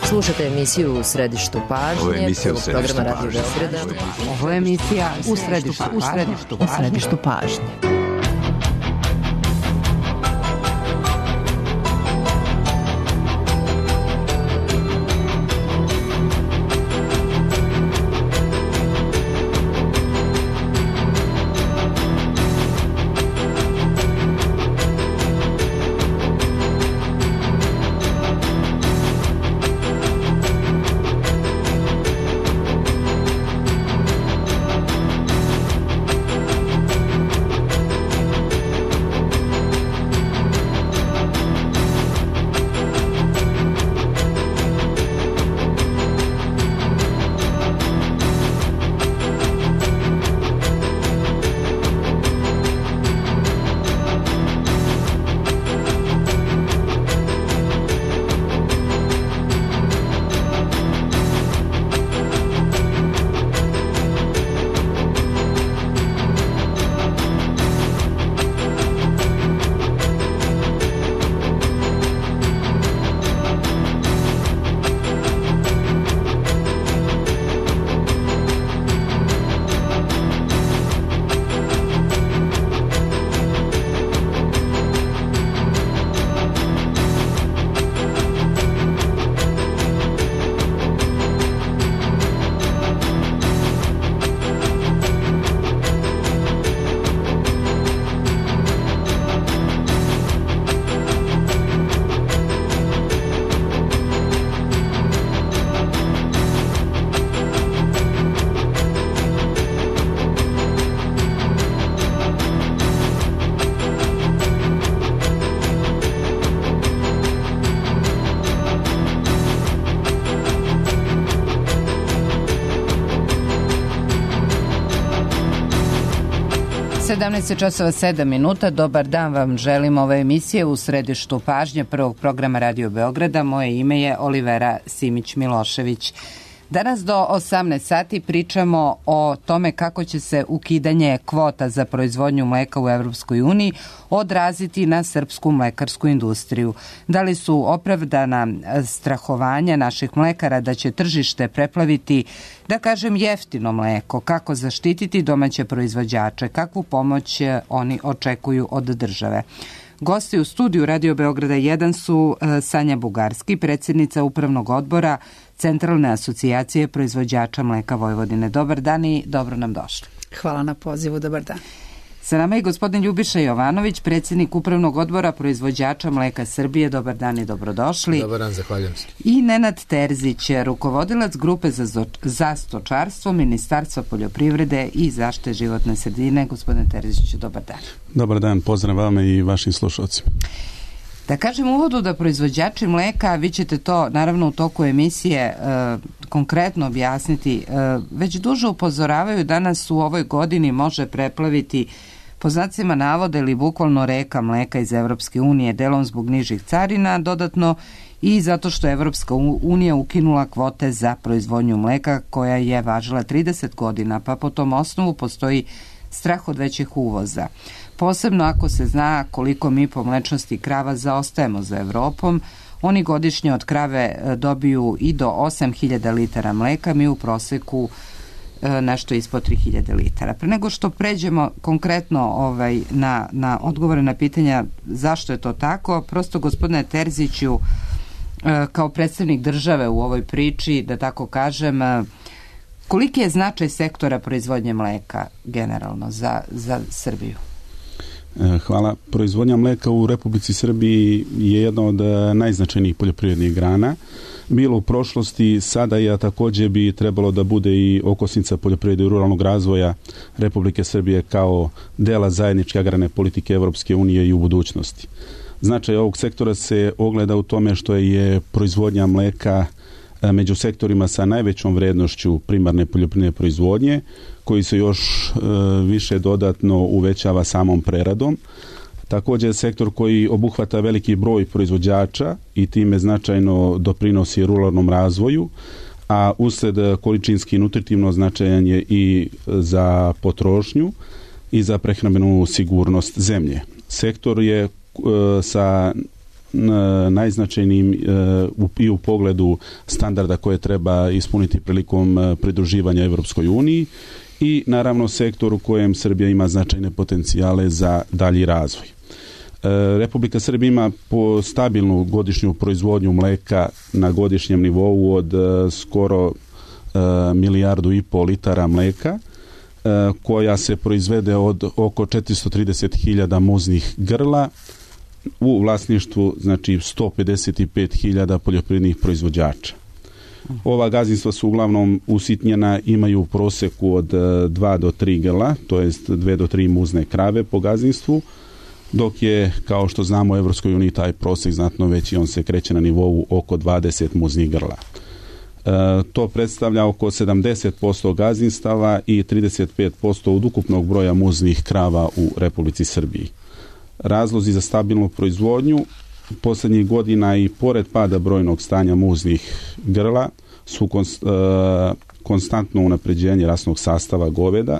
Slušate emisiju U središtu pažnje, programa Radio Beograda. Ovo je emisija U središtu pažnje. Časova 7 minuta. Dobar dan vam želim. Ove emisije U središtu pažnje prvog programa Radio Beograda. Moje ime je Olivera Simić-Milošević. Danas do 18 sati pričamo o tome kako će se ukidanje kvota za proizvodnju mleka u Evropskoj uniji odraziti na srpsku mlekarsku industriju. Da li su opravdana strahovanja naših mlekara da će tržište preplaviti, da kažem, jeftino mleko, kako zaštititi domaće proizvođače, kakvu pomoć oni očekuju od države. Gosti u studiju Radio Beograda 1 su Sanja Bugarski, predsjednica Upravnog odbora Centralne asocijacije proizvođača mleka Vojvodine. Dobar dan i dobro nam došli. Hvala na pozivu, dobar dan. Sa nama je gospodin Ljubiša Jovanović, predsjednik Upravnog odbora proizvođača mleka Srbije. Dobar dan i dobrodošli. Dobar dan, zahvaljujem se. I Nenad Terzić, rukovodilac grupe za stočarstvo Ministarstva poljoprivrede i zaštite životne sredine. Gospodine Terziću, dobar dan. Dobar dan, pozdrav vama i vašim slušalcima. Da kažem u uvodu da proizvođači mleka, vi ćete to naravno u toku emisije konkretno objasniti, već duže upozoravaju da nas u ovoj godini može preplaviti, po znacima navoda ili bukvalno reka mleka iz Evropske unije, delom zbog nižih carina, dodatno i zato što je Evropska unija ukinula kvote za proizvodnju mleka koja je važila 30 godina, pa po tom osnovu postoji strah od većih uvoza. Posebno ako se zna koliko mi po mlečnosti krava zaostajemo za Evropom. Oni godišnje od krave dobiju i do 8.000 litara mleka, mi u proseku nešto ispod 3.000 litara. Pre nego što pređemo konkretno na odgovore na pitanja zašto je to tako, prosto gospodine Terziću, kao predstavnik države u ovoj priči, da tako kažem, koliki je značaj sektora proizvodnje mleka generalno za Srbiju? Hvala. Proizvodnja mleka u Republici Srbiji je jedna od najznačajnijih poljoprivrednih grana. Bilo u prošlosti, sada je također bi trebalo da bude i okosnica poljoprivrede i ruralnog razvoja Republike Srbije kao dela zajedničke agrarne politike Evropske unije i u budućnosti. Značaj ovog sektora se ogleda u tome što je proizvodnja mleka među sektorima sa najvećom vrednošću primarne poljoprivredne proizvodnje, koji se još više dodatno uvećava samom preradom. Također sektor koji obuhvata veliki broj proizvođača i time značajno doprinosi ruralnom razvoju, a usled količinski i nutritivno značajan je i za potrošnju i za prehrambenu sigurnost zemlje. Sektor je sa najznačajnijim i u pogledu standarda koje treba ispuniti prilikom pridruživanja Evropskoj uniji i naravno sektor u kojem Srbija ima značajne potencijale za dalji razvoj. Republika Srbija ima po stabilnu godišnju proizvodnju mleka na godišnjem nivou od skoro 1,5 milijardu litara mleka, koja se proizvede od oko 430.000 muznih grla u vlasništvu, znači 155.000 poljoprivrednih proizvođača. Ova gazdinstva su uglavnom usitnjena, imaju u proseku od 2 do 3 grla, to jest 2 do 3 muzne krave po gazdinstvu, dok je, kao što znamo, u Evropskoj uniji taj prosek znatno veći, on se kreće na nivou oko 20 muznih grla. To predstavlja oko 70% gazdinstava i 35% od ukupnog broja muznih krava u Republici Srbiji. Razlozi za stabilnu proizvodnju posljednjih godina i pored pada brojnog stanja muznih grla su konstantno unapređenje rasnog sastava goveda,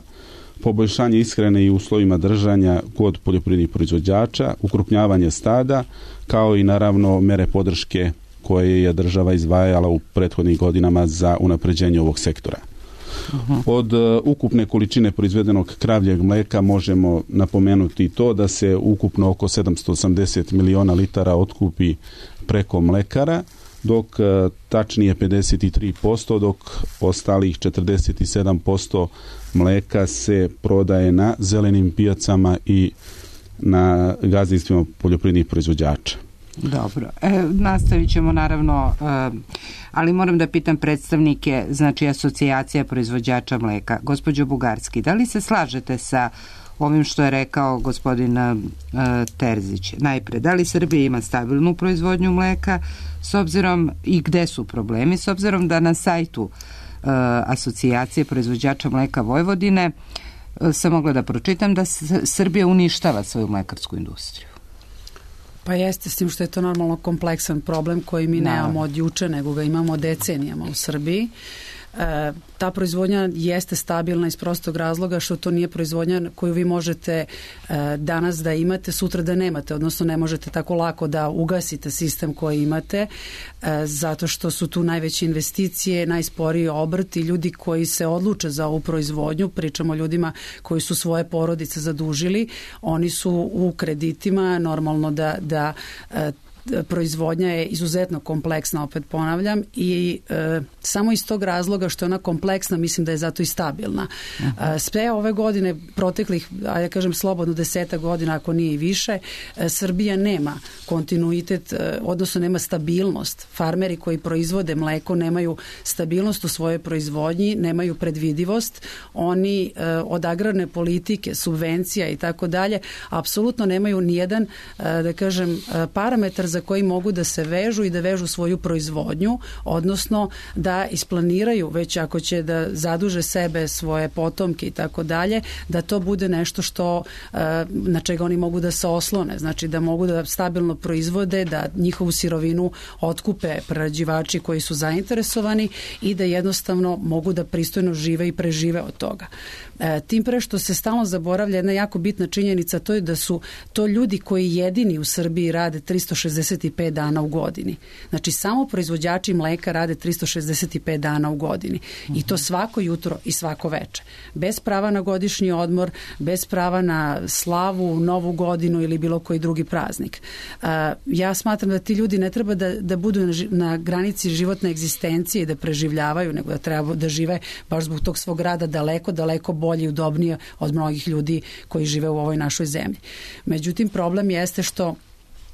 poboljšanje ishrane i uslovima držanja kod poljoprivrednih proizvođača, ukrupnjavanje stada, kao i naravno mere podrške koje je država izdvajala u prethodnih godinama za unapređenje ovog sektora. Od ukupne količine proizvedenog kravljeg mleka možemo napomenuti to da se ukupno oko 780 miliona litara otkupi preko mlekara, dok tačnije 53%, dok ostalih 47% mleka se prodaje na zelenim pijacama i na gazdinstvima poljoprivrednih proizvođača. Dobro. Nastavit ćemo naravno, ali moram da pitam predstavnike, znači asocijacija proizvođača mleka. Gospođo Bugarski, da li se slažete sa ovim što je rekao gospodin Terzić? Najpre, da li Srbija ima stabilnu proizvodnju mleka s obzirom i gde su problemi, s obzirom da na sajtu asocijacije proizvođača mleka Vojvodine sam mogla da pročitam da Srbija uništava svoju mlekarsku industriju. Pa jeste, s tim što je to normalno kompleksan problem koji mi nemamo od juče, nego ga imamo decenijama u Srbiji. Ta proizvodnja jeste stabilna iz prostog razloga što to nije proizvodnja koju vi možete danas da imate, sutra da nemate, odnosno ne možete tako lako da ugasite sistem koji imate, zato što su tu najveće investicije, najsporiji obrt i ljudi koji se odluče za ovu proizvodnju, pričamo o ljudima koji su svoje porodice zadužili, oni su u kreditima, normalno da proizvodnja je izuzetno kompleksna, opet ponavljam, i samo iz tog razloga što je ona kompleksna, mislim da je zato i stabilna. Sve ove godine, proteklih, ja kažem slobodno 10 godina, ako nije i više, Srbija nema kontinuitet, odnosno nema stabilnost. Farmeri koji proizvode mleko nemaju stabilnost u svojoj proizvodnji, nemaju predvidivost, oni od agrarne politike, subvencija i tako dalje, apsolutno nemaju nijedan, da kažem, parametar za koji mogu da se vežu i da vežu svoju proizvodnju, odnosno da isplaniraju, već ako će da zaduže sebe, svoje potomke i tako dalje, da to bude nešto što na čega oni mogu da se oslone, znači da mogu da stabilno proizvode, da njihovu sirovinu otkupe prerađivači koji su zainteresovani i da jednostavno mogu da pristojno žive i prežive od toga. Tim pre što se stalno zaboravlja jedna jako bitna činjenica, to je da su to ljudi koji jedini u Srbiji rade 365 dana u godini. Znači samo proizvođači mleka rade 365 dana u godini i to svako jutro i svako veče. Bez prava na godišnji odmor, bez prava na slavu, novu godinu ili bilo koji drugi praznik. Ja smatram da ti ljudi ne treba da budu na granici životne egzistencije i da preživljavaju, nego da treba da žive baš zbog tog svog rada daleko bolje i udobnije od mnogih ljudi koji žive u ovoj našoj zemlji. Međutim, problem jeste što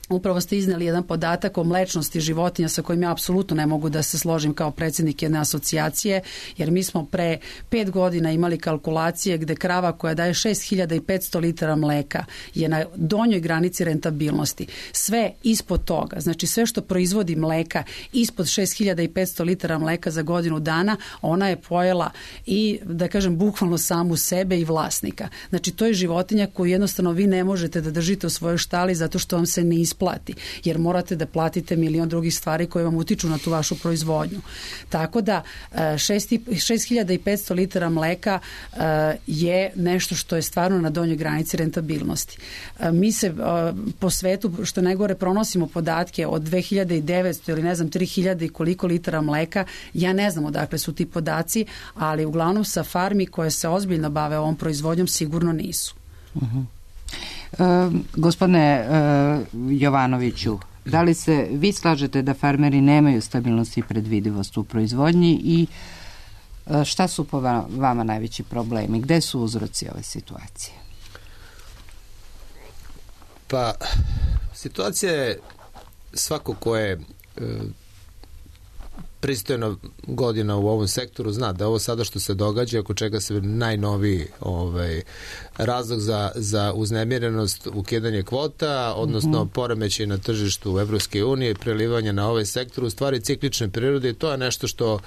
upravo ste izneli jedan podatak o mlečnosti životinja sa kojim ja apsolutno ne mogu da se složim kao predsjednik jedne asocijacije, jer mi smo pre 5 godina imali kalkulacije gde krava koja daje 6500 litara mleka je na donjoj granici rentabilnosti. Sve ispod toga, znači sve što proizvodi mleka ispod 6500 litara mleka za godinu dana, ona je pojela i, da kažem, bukvalno samu sebe i vlasnika. Znači to je životinja koju jednostavno vi ne možete da držite u svojoj štali zato što vam se ne isplati isplati, jer morate da platite milion drugih stvari koje vam utiču na tu vašu proizvodnju. Tako da 6500 litara mleka je nešto što je stvarno na donjoj granici rentabilnosti. Mi se po svetu, što najgore, pronosimo podatke od 2900 ili ne znam 3000 i koliko litara mleka. Ja ne znam odakle su ti podaci, ali uglavnom sa farmi koje se ozbiljno bave ovom proizvodnjom sigurno nisu. Gospodine Jovanoviću, da li se vi slažete da farmeri nemaju stabilnost i predvidivost u proizvodnji i šta su po vama najveći problemi? Gde su uzroci ove situacije? Pa, situacija je svako ko je pristojno godina u ovom sektoru zna da ovo sada što se događa, oko čega se najnoviji razlog za uznemirenost, ukidanje kvota, odnosno poremećaj na tržištu Evropske unije i prelivanje na ovaj sektor, u stvari ciklične prirode, i to je nešto što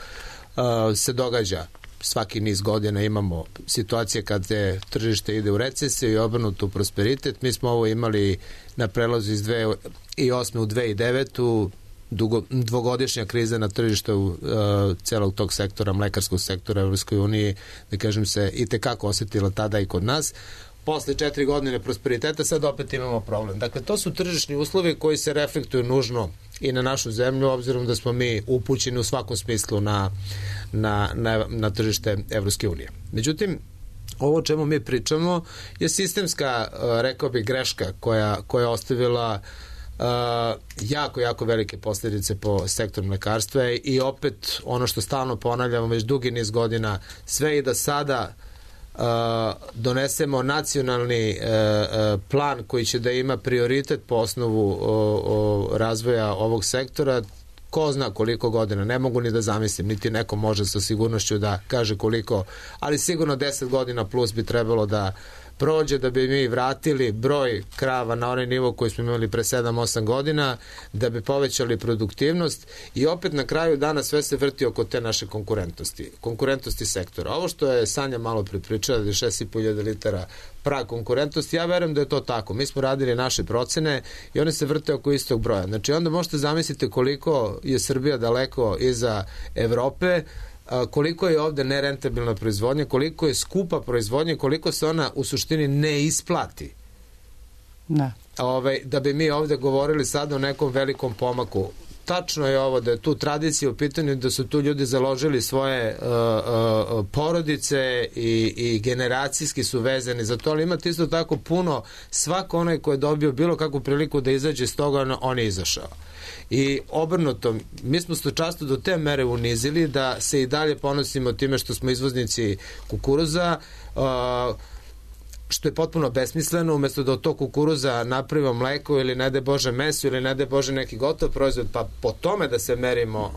se događa. Svaki niz godina imamo situacije kad tržište ide u recesiju i obrnuto u prosperitet. Mi smo ovo imali na prelazu iz 2008. u 2009. Dvogodišnja kriza na tržištu celog tog sektora, mlekarskog sektora u Evropskoj uniji, da kažem, se i tekako osetila tada i kod nas. Posle 4 godine prosperiteta sad opet imamo problem. Dakle, to su tržišni uslovi koji se reflektuju nužno i na našu zemlju, obzirom da smo mi upućeni u svakom smislu na tržište Evropske unije. Međutim, ovo o čemu mi pričamo je sistemska, rekao bih, greška koja je ostavila jako velike posljedice po sektor mlekarstva i opet ono što stalno ponavljamo već dugi niz godina, sve i da sada donesemo nacionalni plan koji će da ima prioritet po osnovu razvoja ovog sektora, ko zna koliko godina, ne mogu ni da zamislim, niti neko može sa sigurnošću da kaže koliko, ali sigurno 10 godina plus bi trebalo da prođe da bi mi vratili broj krava na onaj nivo koji smo imali pre 7-8 godina, da bi povećali produktivnost i opet na kraju dana sve se vrti oko te naše konkurentnosti sektora. Ovo što je Sanja malo pripričala, da je 6.500 litara prag konkurentnosti, ja verujem da je to tako. Mi smo radili naše procene i one se vrte oko istog broja. Znači onda možete zamisliti koliko je Srbija daleko iza Evrope, koliko je ovde nerentabilna proizvodnja, koliko je skupa proizvodnja, koliko se ona u suštini ne isplati. Da bi mi ovde govorili sad o nekom velikom pomaku. Tačno je ovo da je tu tradicija u pitanju, da su tu ljudi založili svoje porodice i generacijski su vezani za to, ali imate isto tako puno, svako onaj ko je dobio bilo kakvu priliku da izađe iz toga, on je izašao. I obrnuto, mi smo stočarstvo do te mere unizili da se i dalje ponosimo time što smo izvoznici kukuruza, što je potpuno besmisleno. Umesto da od tog kukuruza napravimo mleko ili ne daj Bože meso ili ne daj Bože neki gotov proizvod, pa po tome da se merimo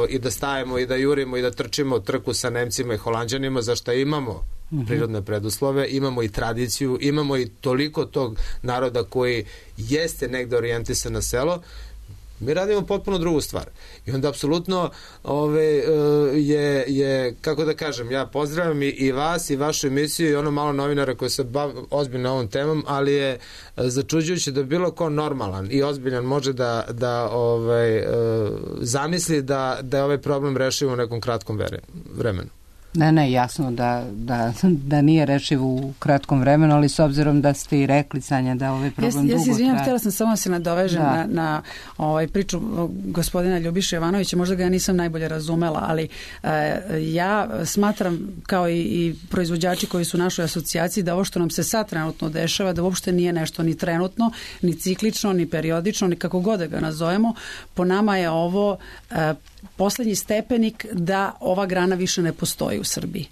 i da stajemo i da jurimo i da trčimo trku sa Nemcima i Holanđanima, za što imamo prirodne preduslove, imamo i tradiciju, imamo i toliko tog naroda koji jeste negde orijentisan na selo, mi radimo potpuno drugu stvar. I onda apsolutno je, kako da kažem, ja pozdravljam i vas i vašu emisiju i ono malo novinara koji se bave ozbiljno ovom temom, ali je začuđujuće da bilo ko normalan i ozbiljan može da zamisli da je ovaj problem rešivo u nekom kratkom vremenu. Ne, jasno da nije rešiv u kratkom vremenu, ali s obzirom da ste i rekli, Sanja, da ovaj problem dugo traje. Ja se izvinjam, htjela sam samo se nadovežem na priču gospodina Ljubiše Jovanovića, možda ga ja nisam najbolje razumela, ali ja smatram, kao i proizvođači koji su u našoj asocijaciji, da ovo što nam se sad trenutno dešava, da uopšte nije nešto ni trenutno, ni ciklično, ni periodično, ni kako god da ga nazovemo. Po nama je ovo poslednji stepenik da ova grana više ne postoji u Srbiji.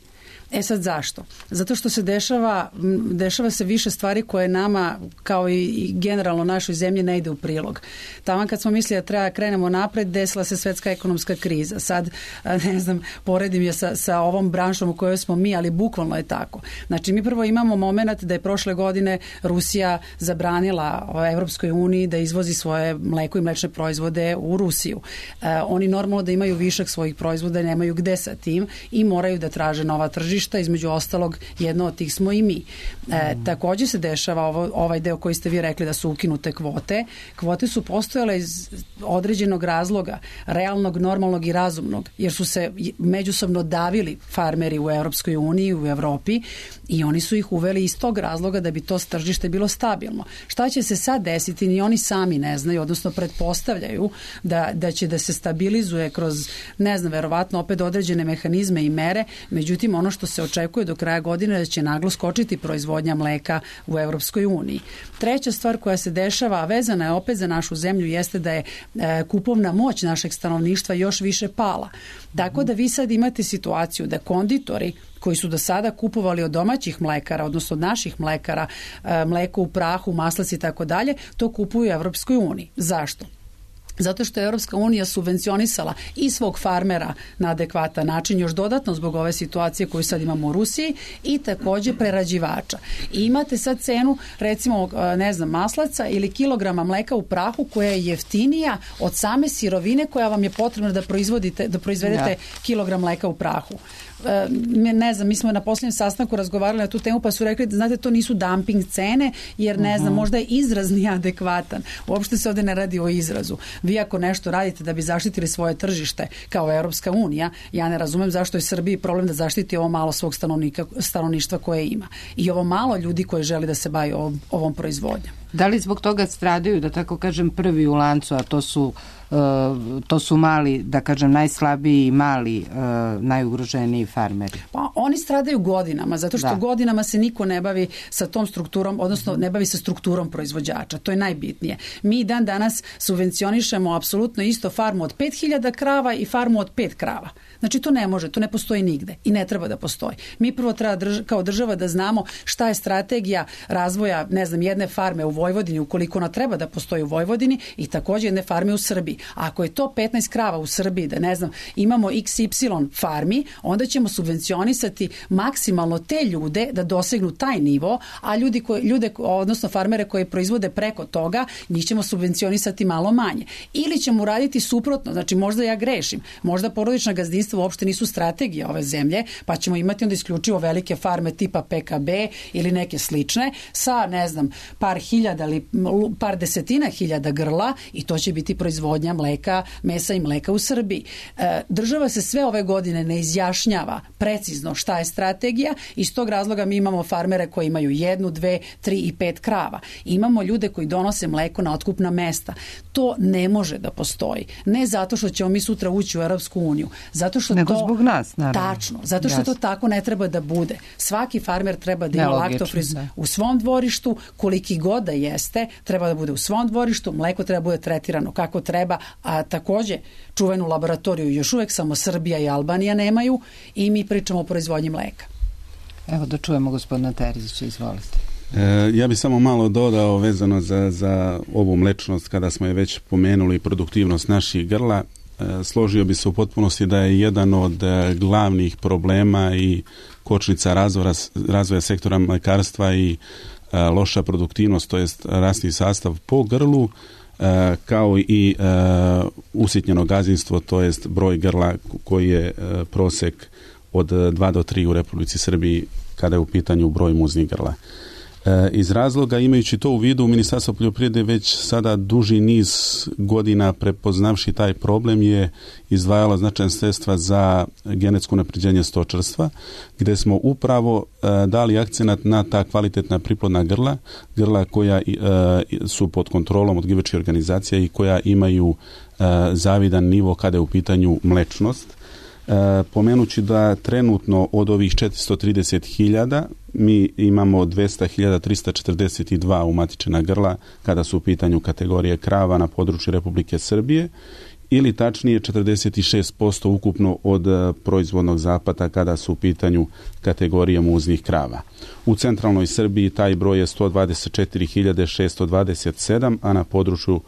E sad zašto? Zato što se dešava se više stvari koje nama, kao i generalno našoj zemlji, ne ide u prilog. Tamo kad smo mislili da treba krenemo napred, desila se svetska ekonomska kriza. Sad, ne znam, poredim je sa ovom branšom u kojoj smo mi, ali bukvalno je tako. Znači, mi prvo imamo moment da je prošle godine Rusija zabranila Evropskoj uniji da izvozi svoje mleko i mlečne proizvode u Rusiju. Oni normalno da imaju višak svojih proizvoda i nemaju gde sa tim i moraju da traže nova tržišta tržišta, između ostalog jedno od tih smo i mi. Takođe se dešava ovaj deo koji ste vi rekli da su ukinute kvote. Kvote su postojale iz određenog razloga, realnog, normalnog i razumnog, jer su se međusobno davili farmeri u Evropskoj uniji, u Evropi, i oni su ih uveli iz tog razloga da bi to tržište bilo stabilno. Šta će se sad desiti, ni oni sami ne znaju, odnosno pretpostavljaju da će da se stabilizuje kroz, ne znam, verovatno opet određene mehanizme i mere, međutim ono što se očekuje do kraja godine da će naglo skočiti proizvodnja mleka u Evropskoj uniji. Treća stvar koja se dešava, a vezana je opet za našu zemlju, jeste da je kupovna moć našeg stanovništva još više pala. Tako da vi sad imate situaciju da konditori koji su do sada kupovali od domaćih mlekara, odnosno od naših mlekara, mleko u prahu, maslac i tako dalje, to kupuju u Evropskoj uniji. Zašto? Zato što je Evropska unija subvencionisala i svog farmera na adekvatan način, još dodatno zbog ove situacije koju sad imamo u Rusiji, i takođe prerađivača. I imate sad cenu, recimo, ne znam, maslaca ili kilograma mleka u prahu koja je jeftinija od same sirovine koja vam je potrebna da proizvedete kilogram mleka u prahu. Ne znam, mi smo na posljednjem sastanku razgovarali na tu temu, pa su rekli da, znate, to nisu dumping cene, jer ne znam, možda je izraz nije adekvatan. Uopšte se ovde ne radi o izrazu. Vi ako nešto radite da bi zaštitili svoje tržište kao Evropska unija, ja ne razumem zašto je Srbiji problem da zaštiti ovo malo svog stanovništva koje ima. I ovo malo ljudi koji želi da se bavi ovom proizvodnjom. Da li zbog toga stradaju, da tako kažem, prvi u lancu, a to su mali, da kažem, najslabiji i mali, najugroženiji farmeri? Pa oni stradaju godinama, zato što godinama se niko ne bavi sa tom strukturom, odnosno ne bavi sa strukturom proizvođača. To je najbitnije. Mi dan danas subvencionišemo apsolutno isto farmu od 5000 krava i farmu od 5 krava. Znači to ne može, to ne postoji nigde i ne treba da postoji. Mi prvo treba kao država da znamo šta je strategija razvoja, ne znam, jedne farme u Vojvodini, ukoliko ona treba da postoji u Vojvodini, i takođe jedne farme u Srbiji. A ako je to 15 krava u Srbiji, da ne znam, imamo XY farmi, onda ćemo subvencionisati maksimalno te ljude da dosegnu taj nivo, a ljude, odnosno farmere koji proizvode preko toga, njih ćemo subvencionisati malo manje. Ili ćemo uraditi suprotno, znači možda ja grešim, možda porodična gazdinstva uopšte nisu strategija ove zemlje, pa ćemo imati onda isključivo velike farme tipa PKB ili neke slične sa, ne znam, par hiljada ili par desetina hiljada grla, i to će biti proizvodnja mleka, mesa i mleka u Srbiji. Država se sve ove godine ne izjašnjava precizno šta je strategija, i iz tog razloga mi imamo farmere koji imaju 1, 2, 3 i 5 krava. Imamo ljude koji donose mleko na otkupna mesta. To ne može da postoji. Ne zato što ćemo mi sutra ući u Evropsku uniju, zato što nego to zbog nas, naravno. Tačno, zato što to tako ne treba da bude. Svaki farmer treba da ima laktofriz u svom dvorištu, koliki god da jeste, treba da bude u svom dvorištu, mleko treba da bude tretirano kako treba, a takođe čuvenu laboratoriju još uvek samo Srbija i Albanija nemaju, i mi pričamo o proizvodnji mleka. Evo da čujemo gospodina Terzića, izvolite. Ja bih samo malo dodao vezano za ovu mlečnost, kada smo je već pomenuli, produktivnost naših grla. Složio bi se u potpunosti da je jedan od glavnih problema i kočnica razvoja sektora mlekarstva i loša produktivnost, to jest rasni sastav po grlu, kao i usitnjeno gazdinstvo, to jest broj grla koji je prosek od 2 do 3 u Republici Srbiji kada je u pitanju broj muznih grla. Iz razloga, imajući to u vidu, Ministarstvo poljoprivrede već sada duži niz godina, prepoznavši taj problem, je izdvajalo značajna sredstva za genetsko unapređenje stočarstva, gde smo upravo dali akcenat na ta kvalitetna priplodna grla koja su pod kontrolom odgajivačkih organizacija i koja imaju zavidan nivo kada je u pitanju mlečnost. Pomenući da trenutno od ovih 430.000 mi imamo 200.342 umatičena grla kada su u pitanju kategorije krava na području Republike Srbije, ili tačnije 46% ukupno od proizvodnog zapada kada su u pitanju kategorije muznih krava. U centralnoj Srbiji taj broj je 124.627, a na području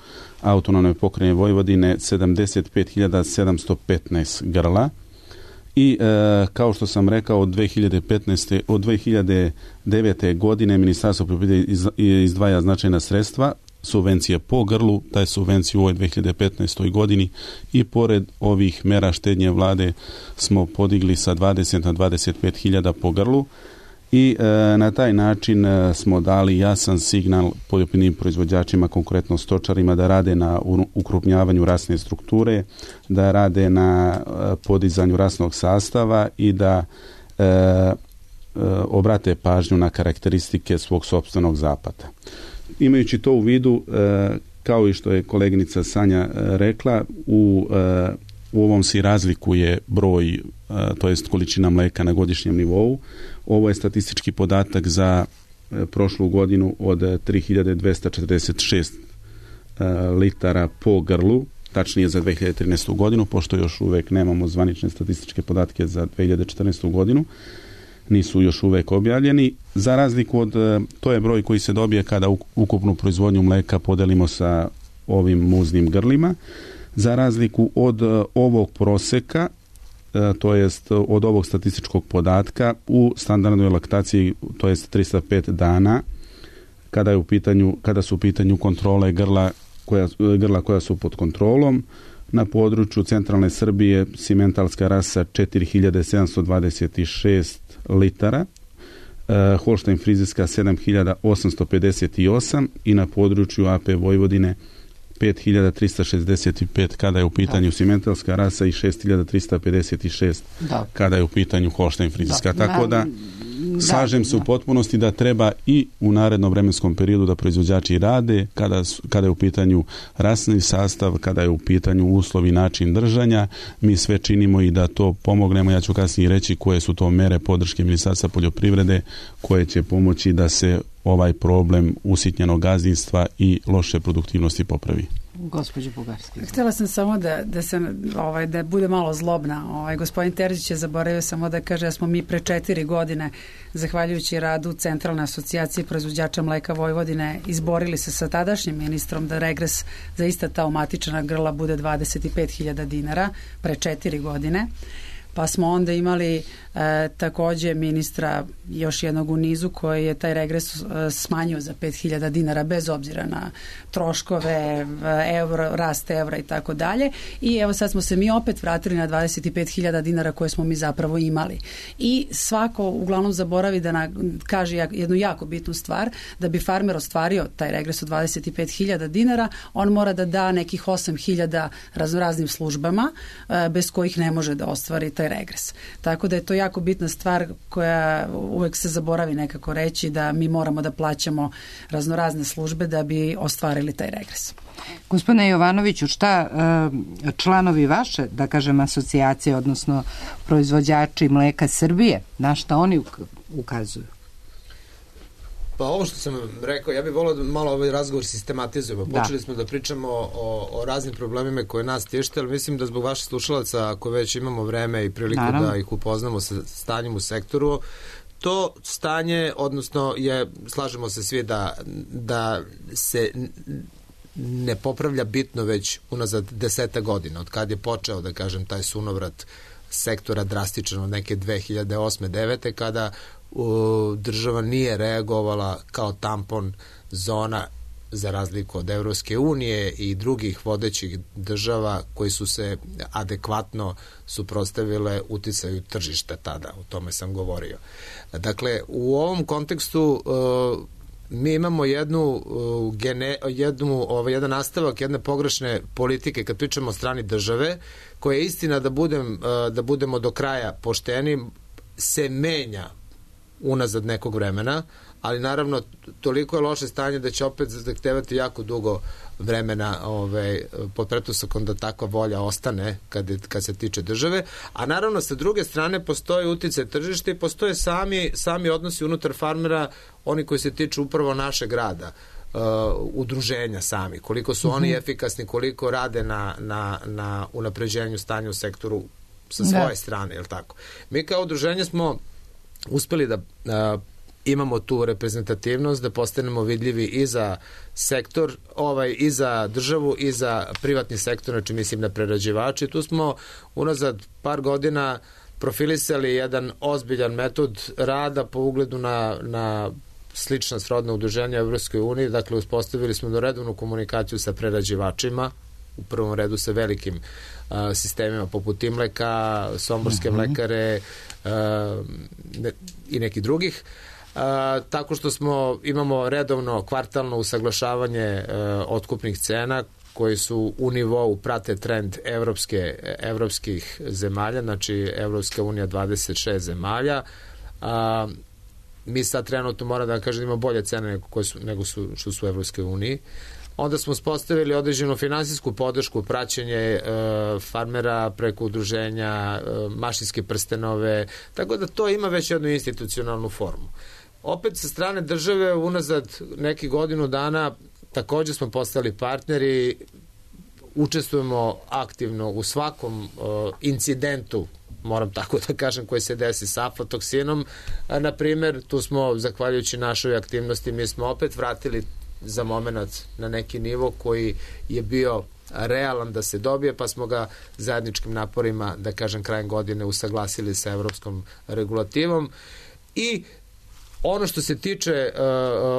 autonomne pokrajine Vojvodine 75.715 grla. I kao što sam rekao, od 2009. godine Ministarstvo poljoprivrede izdvaja značajna sredstva subvencije po grlu, taj subvenciju u ovoj 2015. godini i pored ovih mera štednje vlade smo podigli sa 20 na 25.000 po grlu i na taj način smo dali jasan signal poljoprivrednim proizvođačima, konkretno stočarima, da rade na ukrupnjavanju rasne strukture, da rade na podizanju rasnog sastava i da obrate pažnju na karakteristike svog sopstvenog zapata. Imajući to u vidu, kao i što je koleginica Sanja rekla, u ovom se razlikuje broj, to jest količina mleka na godišnjem nivou. Ovo je statistički podatak za prošlu godinu od 3246 litara po grlu, tačnije za 2013. godinu, pošto još uvek nemamo zvanične statističke podatke za 2014. godinu. Nisu još uvek objavljeni. Za razliku od, to je broj koji se dobije kada ukupnu proizvodnju mleka podelimo sa ovim muznim grlima. Za razliku od ovog proseka, to jest od ovog statističkog podatka, u standardnoj laktaciji, to jest 305 dana, kada su u pitanju kontrole grla koja su pod kontrolom, na području centralne Srbije simentalska rasa 4726 litara, Holštajn frizerska 7858 i na području AP Vojvodine 5365 kada je u pitanju simentalska rasa i 6356 kada je u pitanju Holštajn frizerska. Tako da slažem se u potpunosti da treba i u narednom vremenskom periodu da proizvođači rade kada je u pitanju rasni sastav, kada je u pitanju uslovi, način držanja. Mi sve činimo i da to pomognemo. Ja ću kasnije reći koje su to mere podrške Ministarstva poljoprivrede koje će pomoći da se ovaj problem usitnjenog gazdinstva i loše produktivnosti popravi. Gospođo Bugarski. Htjela sam samo da bude malo zlobna. Gospodin Terzić je zaboravio samo da kaže da smo mi pre 4 godine, zahvaljujući radu Centralne asocijacije proizvođača mleka Vojvodine, izborili se sa tadašnjim ministrom da regres za ista ta omatična grla bude 25.000 dinara pre 4 godine. Pa smo onda imali takođe ministra još jednog u nizu koji je taj regres smanjio za 5.000 dinara bez obzira na troškove, rast evra i tako dalje. I evo sad smo se mi opet vratili na 25.000 dinara koje smo mi zapravo imali. I svako uglavnom zaboravi da kaže jednu jako bitnu stvar, da bi farmer ostvario taj regres od 25.000 dinara, on mora da da nekih 8.000 raznoraznim službama bez kojih ne može da ostvari taj regres. Tako da je to jako bitna stvar koja uvek se zaboravi nekako reći, da mi moramo da plaćamo raznorazne službe da bi ostvarili taj regres. Gospodine Jovanoviću, šta članovi vaše, da kažem, asocijacije, odnosno proizvođači mleka Srbije, na šta oni ukazuju? Pa ovo što sam rekao, ja bih volio da malo ovaj razgovor sistematizujemo. Počeli smo da pričamo o raznim problemima koje nas tište, ali mislim da zbog vaših slušalaca, ako već imamo vreme i priliku da ih upoznamo sa stanjem u sektoru, to stanje, odnosno slažemo se svi da se ne popravlja bitno već unazad 10 godina, od kad je počeo, da kažem, taj sunovrat sektora drastično od neke 2008-2009. kada država nije reagovala kao tampon zona za razliku od Evropske unije i drugih vodećih država koji su se adekvatno suprotstavile uticaju tržišta tada, o tome sam govorio. Dakle, u ovom kontekstu mi imamo jedan nastavak jedne pogrešne politike kad pričamo o strani države, koja je istina, da budemo do kraja pošteni, se menja unazad nekog vremena, ali naravno toliko je loše stanje da će opet zahtevati jako dugo vremena pod pretpostavkom da takva volja ostane kad se tiče države, a naravno sa druge strane postoji uticaj tržišta i postoje sami odnosi unutar farmera, oni koji se tiču upravo našeg rada, udruženja sami, koliko su oni efikasni, koliko rade na unapređenju stanja u sektoru sa svoje strane, je li tako? Mi kao udruženje smo uspeli da imamo tu reprezentativnost, da postanemo vidljivi i za sektor, i za državu, i za privatni sektor, znači mislim na prerađivače. Tu smo unazad par godina profilisali jedan ozbiljan metod rada po ugledu na slična srodna udruženja u Evropskoj uniji, dakle uspostavili smo redovnu komunikaciju sa prerađivačima, u prvom redu sa velikim sistemima poput Imleka, Somborske mlekare i nekih drugih. Tako što imamo redovno kvartalno usaglašavanje otkupnih cena koji su u nivou, prate trend evropskih zemalja, znači Evropska unija 26 zemalja. Mi sad trenutno moram da vam kažem da ima bolje cene nego što su u Evropskoj uniji. Onda smo uspostavili određenu finansijsku podršku, praćenje farmera preko udruženja, mašinske prstenove, tako da to ima već jednu institucionalnu formu. Opet sa strane države unazad nekih godinu dana također smo postali partneri, učestvujemo aktivno u svakom incidentu, moram tako da kažem, koji se desi sa aflatoksinom. Na primjer, tu smo, zahvaljujući našoj aktivnosti, mi smo opet vratili za moment na neki nivo koji je bio realan da se dobije, pa smo ga zajedničkim naporima, da kažem, krajem godine usaglasili sa evropskom regulativom. I ono što se tiče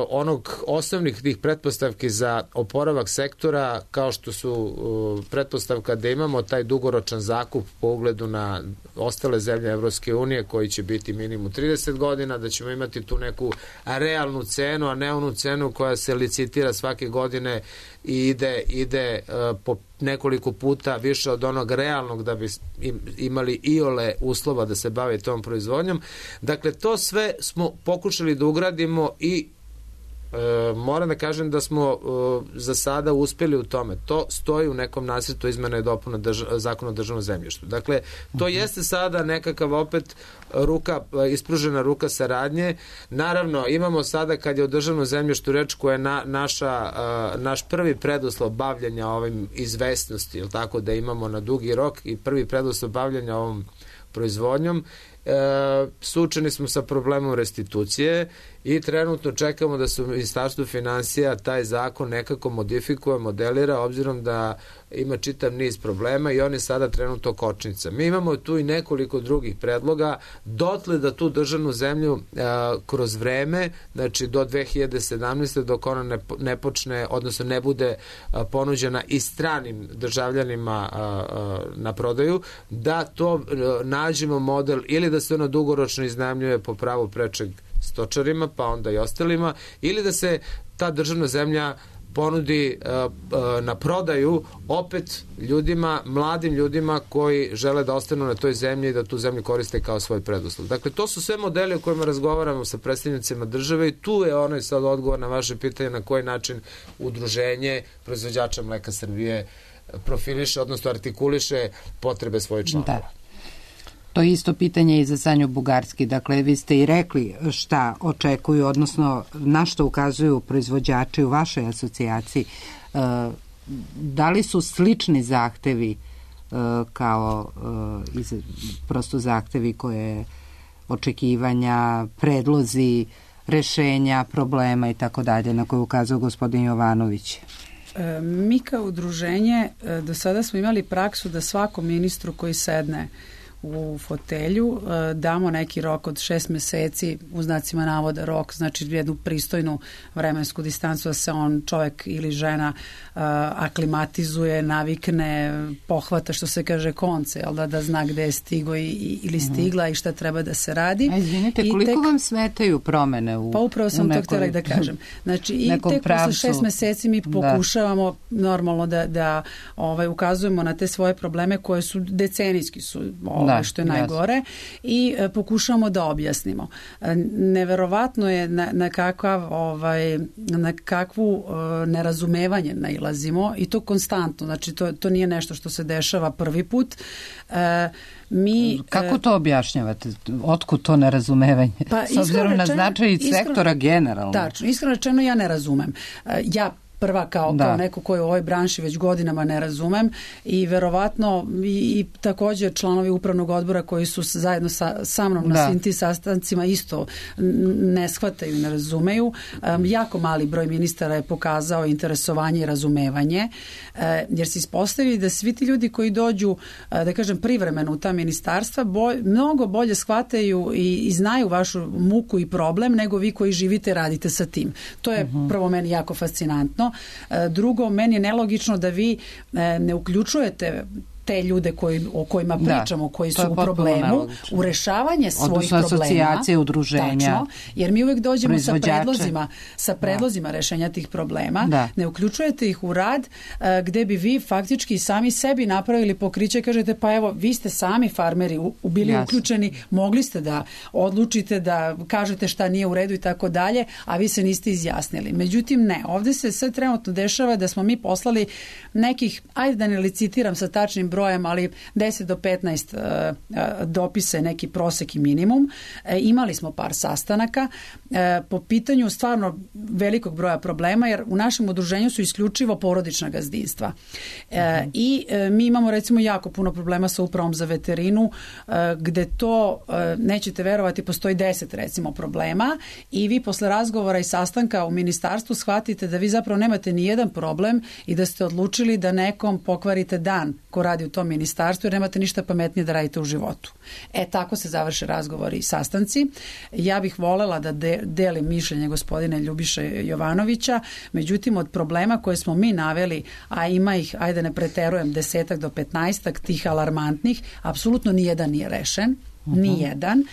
onog osnovnih tih pretpostavki za oporavak sektora, kao što su pretpostavka da imamo taj dugoročan zakup po ugledu na ostale zemlje Evropske unije koji će biti minimum 30 godina, da ćemo imati tu neku realnu cenu, a ne onu cenu koja se licitira svake godine i ide po nekoliko puta više od onog realnog da bi imali iole uslova da se bave tom proizvodnjom. Dakle, to sve smo pokušali da ugradimo i moram da kažem da smo za sada uspeli u tome. To stoji u nekom nacrtu izmena i dopuna Zakona o državnom zemljištu. Dakle, to jeste sada nekakav opet ispružena ruka saradnje. Naravno, imamo sada kad je o državnom zemljištu reč koja je naš prvi preduslov bavljanja ovim izvesnosti, ili tako da imamo na dugi rok i prvi preduslov bavljanja ovom proizvodnjom. Suočeni smo sa problemom restitucije i trenutno čekamo da se u Ministarstvu finansija taj zakon nekako modifikuje, modelira, obzirom da ima čitav niz problema i on je sada trenutno kočnica. Mi imamo tu i nekoliko drugih predloga, dotle da tu državnu zemlju kroz vreme, znači do 2017. dok ona ne počne, odnosno ne bude ponuđena i stranim državljanima na prodaju, da to nađemo model ili da se ona dugoročno iznajmljuje po pravu prečeg stočarima, pa onda i ostalima, ili da se ta državna zemlja ponudi na prodaju opet ljudima, mladim ljudima koji žele da ostanu na toj zemlji i da tu zemlju koriste kao svoj preduslov. Dakle, to su sve modeli o kojima razgovaramo sa predstavnicima države i tu je onaj sad odgovor na vaše pitanje na koji način udruženje proizvođača mleka Srbije profiliše, odnosno artikuliše potrebe svoje članova. Da. To je isto pitanje i za Sanju Bugarski. Dakle, vi ste i rekli šta očekuju, odnosno na što ukazuju proizvođači u vašoj asocijaciji. Da li su slični zahtevi kao prosto zahtevi koje očekivanja, predlozi, rešenja, problema i tako dalje, na koje ukazuje gospodin Jovanović? Mi kao udruženje do sada smo imali praksu da svakom ministru koji sedne u fotelju damo neki rok od 6 meseci, u znacima navoda rok, znači jednu pristojnu vremensku distancu da se on, čovjek ili žena, aklimatizuje, navikne, pohvata, što se kaže, konce, da zna gde je stigo ili stigla i šta treba da se radi. A izvinite, koliko vam smetaju promene u Pa upravo sam to htjela da kažem. Znači, i tek posle 6 meseci mi pokušavamo normalno da ukazujemo na te svoje probleme koje su decenijski su što je najgore i pokušamo da objasnimo. Neverovatno je na kakvu nerazumevanje nailazimo i to konstantno. Znači, to nije nešto što se dešava prvi put. Kako to objašnjavate? Otkud to nerazumevanje? Pa, s obzirom na značaj sektora generalno. Tačno, iskreno rečeno ja ne razumem. Ja prva kao neko koji u ovoj branši već godinama ne razumem i verovatno i također članovi upravnog odbora koji su zajedno sa mnom na svim tim sastancima isto ne shvataju i ne razumeju. Jako mali broj ministara je pokazao interesovanje i razumevanje, jer se ispostavi da svi ti ljudi koji dođu, da kažem, privremeno u ta ministarstva mnogo bolje shvataju i znaju vašu muku i problem nego vi koji živite i radite sa tim. To je prvo meni jako fascinantno. Drugo, meni je nelogično da vi ne uključujete te ljude o kojima pričamo, koji su u problemu, u rešavanje svojih problema. Asocijacije, udruženja. Tačno, jer mi uvek dođemo sa predlozima rešenja tih problema. Ne uključujete ih u rad gde bi vi faktički sami sebi napravili pokriće, kažete pa evo, vi ste sami farmeri bili uključeni, mogli ste da odlučite, da kažete šta nije u redu i tako dalje, a vi se niste izjasnili. Međutim, ne. Ovde se sve trenutno dešava da smo mi poslali nekih, ajde da ne licitiram sa tačnim brojem, ali 10 do 15 dopisa je neki prosek i minimum. Imali smo par sastanaka po pitanju stvarno velikog broja problema, jer u našem udruženju su isključivo porodična gazdinstva. I mi imamo recimo jako puno problema sa upravom za veterinu, gde to, nećete verovati, postoji 10 recimo problema i vi posle razgovora i sastanka u ministarstvu shvatite da vi zapravo nemate ni jedan problem i da ste odlučili da nekom pokvarite dan ko radi u tom ministarstvu, jer nemate ništa pametnije da radite u životu. Tako se završe razgovori i sastanci. Ja bih volela da delim mišljenje gospodine Ljubiše Jovanovića, međutim od problema koje smo mi naveli, a ima ih, ajde ne preterujem, 10 do 15 tih alarmantnih, apsolutno nijedan nije rešen. Nijedan.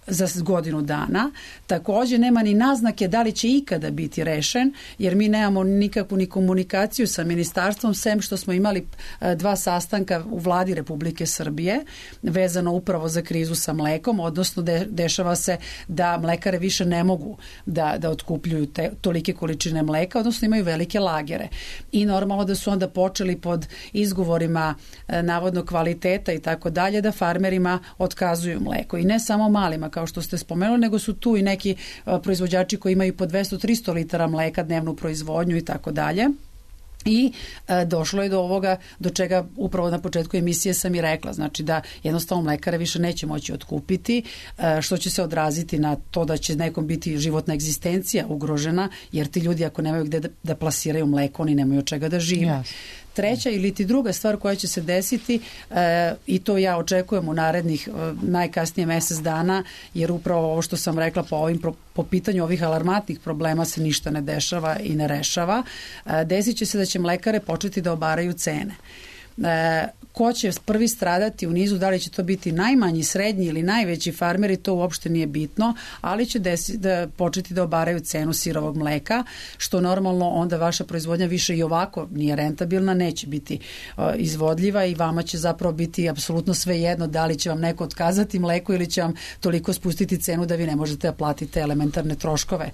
Za godinu dana. Također nema ni naznake da li će ikada biti rešen, jer mi nemamo nikakvu ni komunikaciju sa ministarstvom, sem što smo imali 2 sastanka u vladi Republike Srbije vezano upravo za krizu sa mlekom, odnosno dešava se da mlekare više ne mogu da otkupljuju tolike količine mleka, odnosno imaju velike lagere. I normalno da su onda počeli pod izgovorima navodno kvaliteta i tako dalje da farmerima otkazuju mleko. I ne samo malima, kao što ste spomenuli, nego su tu i neki proizvođači koji imaju po 200-300 litara mleka dnevnu proizvodnju i tako dalje. I došlo je do ovoga do čega upravo na početku emisije sam i rekla, znači da jednostavno mlekare više neće moći otkupiti, što će se odraziti na to da će nekom biti životna egzistencija ugrožena, jer ti ljudi ako nemaju gde da plasiraju mleko, oni nemaju od čega da žive. Yes. Treća ili ti druga stvar koja će se desiti, i to ja očekujem u narednih najkasnije mesec dana, jer upravo ovo što sam rekla po pitanju ovih alarmantnih problema se ništa ne dešava i ne rešava, desit će se da će mlekare početi da obaraju cene. Ko će prvi stradati u nizu, da li će to biti najmanji, srednji ili najveći farmeri, to uopšte nije bitno, ali će početi da obaraju cenu sirovog mleka, što normalno onda vaša proizvodnja više i ovako nije rentabilna, neće biti izvodljiva i vama će zapravo biti apsolutno svejedno da li će vam neko otkazati mleko ili će vam toliko spustiti cenu da vi ne možete da platite elementarne troškove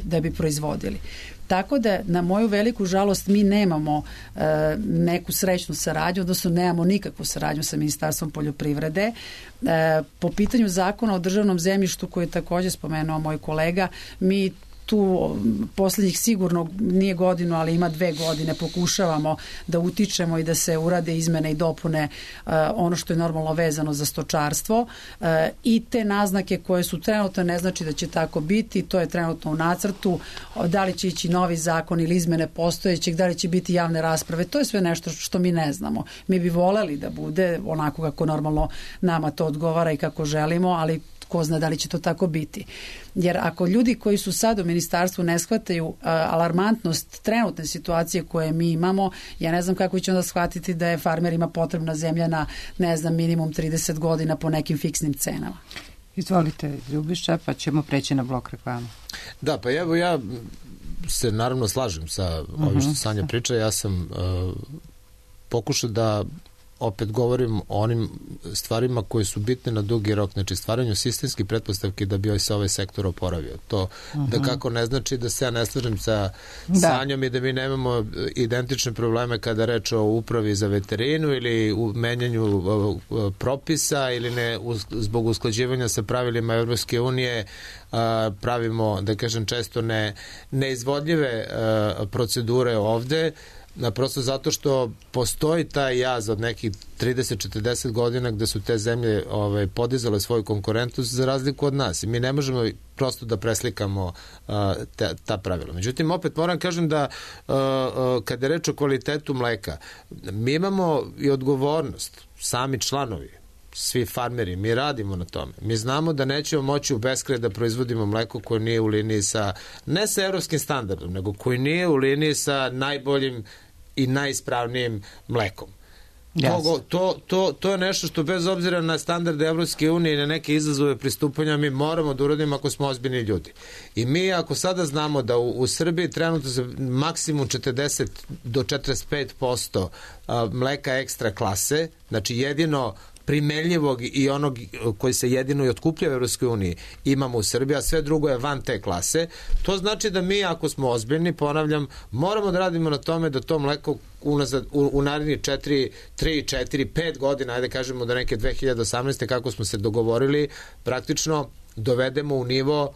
da bi proizvodili. Tako da, na moju veliku žalost, mi nemamo neku srećnu saradnju, odnosno nemamo nikakvu saradnju sa Ministarstvom poljoprivrede. Po pitanju zakona o državnom zemljištu, koji je također spomenuo moj kolega, mi tu posljednjih sigurno nije godinu, ali ima 2 godine pokušavamo da utičemo i da se urade izmene i dopune ono što je normalno vezano za stočarstvo i te naznake koje su trenutno, ne znači da će tako biti, to je trenutno u nacrtu, da li će ići novi zakon ili izmene postojećeg, da li će biti javne rasprave, to je sve nešto što mi ne znamo. Mi bi voleli da bude onako kako normalno nama to odgovara i kako želimo, ali ko zna da li će to tako biti. Jer ako ljudi koji su sad u ministarstvu ne shvataju alarmantnost trenutne situacije koje mi imamo, ja ne znam kako će onda shvatiti da je farmerima potrebna zemlja na, ne znam, minimum 30 godina po nekim fiksnim cenama. Izvolite, Ljubiša, pa ćemo preći na blok reklama. Da, pa evo ja se naravno slažem sa ovim što Sanja priča. Ja sam pokušao da opet govorim o onim stvarima koje su bitne na dugi rok, znači stvaranju sistemskih pretpostavki da bi se ovaj sektor oporavio. To da kako ne znači da se ja ne slažem sa Sanjom i da mi nemamo identične probleme kada reč o upravi za veterinu ili u menjanju propisa ili ne zbog usklađivanja sa pravilima Evropske unije pravimo, da kažem, često neizvodljive procedure ovde, prosto zato što postoji taj jaz od nekih 30-40 godina gde su te zemlje podizale svoju konkurentnost za razliku od nas i mi ne možemo prosto da preslikamo ta pravila. Međutim, opet moram kažem da kada je reč o kvalitetu mleka, mi imamo i odgovornost, sami članovi, svi farmeri, mi radimo na tome. Mi znamo da nećemo moći u beskraj da proizvodimo mleko koje nije u liniji sa, ne sa evropskim standardom, nego koji nije u liniji sa najboljim i najispravnijim mlekom. To je nešto što bez obzira na standarde Evropske unije i na neke izazove pristupanja mi moramo da uradimo ako smo ozbiljni ljudi. I mi ako sada znamo da u Srbiji trenutno za maksimum 40 do 45% mleka ekstra klase, znači jedino primenljivog i onog koji se jedino i otkuplja u Evropskoj uniji imamo u Srbiji, a sve drugo je van te klase. To znači da mi, ako smo ozbiljni, ponavljam, moramo da radimo na tome da to mleko u narednih 3, 4, 5 godina, ajde kažemo da neke 2018. kako smo se dogovorili, praktično dovedemo u nivo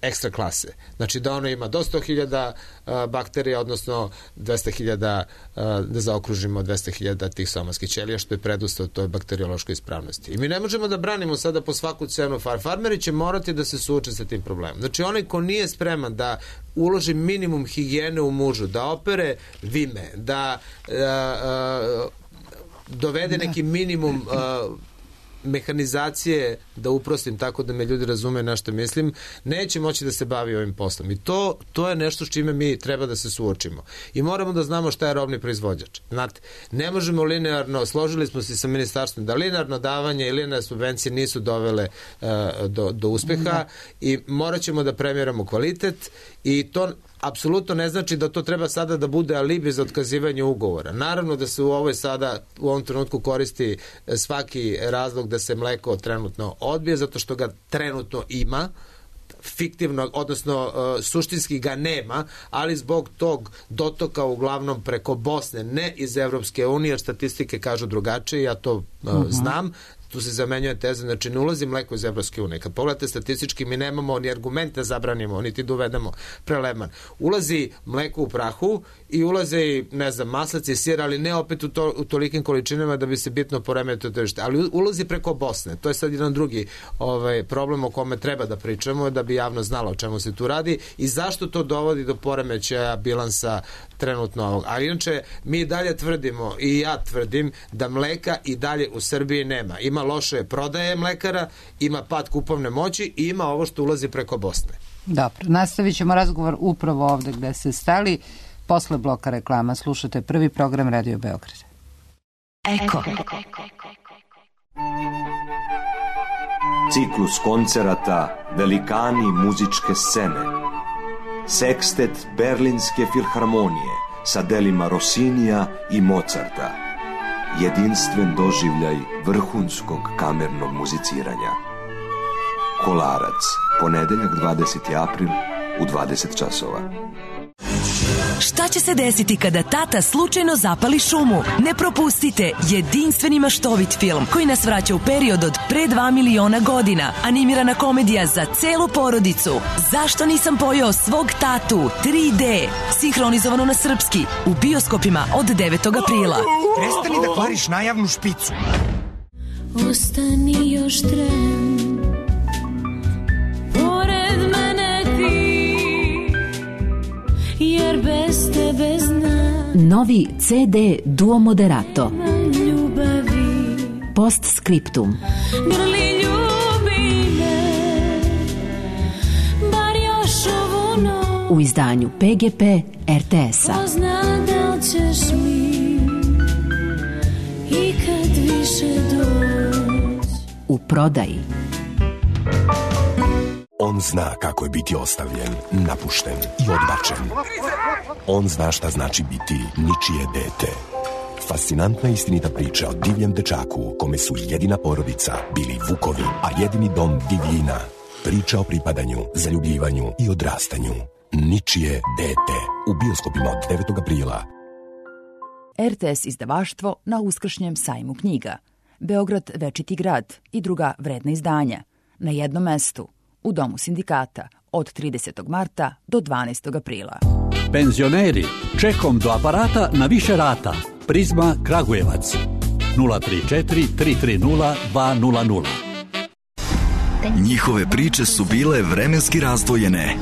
ekstra klase. Znači da ono ima do 100.000 bakterija, odnosno 200.000, da zaokružimo 200.000 tih somatskih ćelija, što je predustav toj bakteriološkoj ispravnosti. I mi ne možemo da branimo sada po svaku cenu farmeri će morati da se suoče sa tim problemom. Znači onaj ko nije spreman da uloži minimum higijene u mužu, da opere vime, da dovede neki minimum mehanizacije, da uprostim tako da me ljudi razume na što mislim, neće moći da se bavi ovim poslom. I to je nešto s čime mi treba da se suočimo. I moramo da znamo šta je robni proizvođač. Znate, ne možemo linearno, složili smo se sa ministarstvom da linearno davanje i linearne subvencije nisu dovele do uspeha i morat ćemo da premiramo kvalitet i to apsolutno ne znači da to treba sada da bude alibi za otkazivanje ugovora. Naravno da se u ovom trenutku koristi svaki razlog da se mleko trenutno odbije, zato što ga trenutno ima, fiktivno, odnosno suštinski ga nema, ali zbog tog dotoka uglavnom preko Bosne, ne iz Evropske unije, jer statistike kažu drugačije, ja to znam, tu se zamenjuje teza, znači ne ulazi mleko iz Evropske unije. Kad pogledate statistički, mi nemamo ni argumente da zabranimo, niti da uvedemo preleman. Ulazi mleko u prahu i ulaze i, ne znam, maslac i sir, ali ne opet u tolikim količinama da bi se bitno poremetilo tržište. Ali ulazi preko Bosne. To je sad jedan drugi problem o kome treba da pričamo, da bi javno znalo o čemu se tu radi i zašto to dovodi do poremećaja bilansa trenutno ovog. Ali inače, mi dalje tvrdimo i ja tvrdim da mleka i dalje u Srbiji nema. Ima loše prodaje mlekara, ima pad kupovne moći i ima ovo što ulazi preko Bosne. Dobro, nastavit ćemo razgovor upravo ovde gde se stali. Posle bloka reklama slušate prvi program Radio Beograd. Eko. Ciklus koncerata Velikani muzičke scene. Sekstet Berlinske filharmonije sa delima Rossinija i Mozarta. Jedinstven doživljaj vrhunskog kamernog muziciranja. Kolarac, ponedeljak 20. april u 20 časova. Šta će se desiti kada tata slučajno zapali šumu? Ne propustite jedinstveni maštovit film koji nas vraća u period od pre 2 miliona godina. Animirana komedija za celu porodicu. Zašto nisam pojeo svog tatu? 3D. Sinhronizovano na srpski. U bioskopima od 9. aprila. Prestani da kvariš najavnu špicu. Ostani još tren. Pored mene ti. Jer bez tebe znam. Novi CD Duo Moderato. Ljubavi. Postscriptum. Grli ljubi me. Bar još ovu noć. U izdanju PGP RTS-a. Pozna da ćeš mi i kad više doć. U prodaji. On zna kako je biti ostavljen, napušten i odbačen. On zna šta znači biti ničije dete. Fascinantna istinita priča o divljem dečaku kome su jedina porodica bili vukovi, a jedini dom divljina. Priča o pripadanju, zaljubljivanju i odrastanju. Ničije dete. U bioskopima od 9. aprila. RTS izdavaštvo na uskršnjem sajmu knjiga. Beograd večiti grad i druga vredna izdanja. Na jednom mestu, u Domu sindikata, od 30. marta do 12. aprila. Penzioneri, čekom do aparata na više rata. Prizma Kragujevac. 034 330 200. Njihove priče su bile vremenski razdvojene.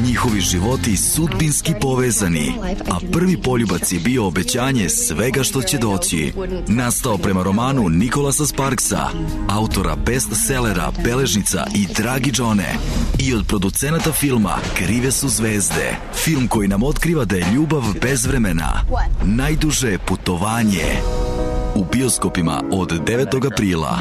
Njihovi životi sudbinski povezani, a prvi poljubac je bio obećanje svega što će doći. Nastao prema romanu Nikolasa Sparksa, autora bestsellera Beležnica i Dragi Džone, i od producenata filma Krive su zvezde. Film koji nam otkriva da je ljubav bez vremena najduže putovanje. U bioskopima od 9. aprila.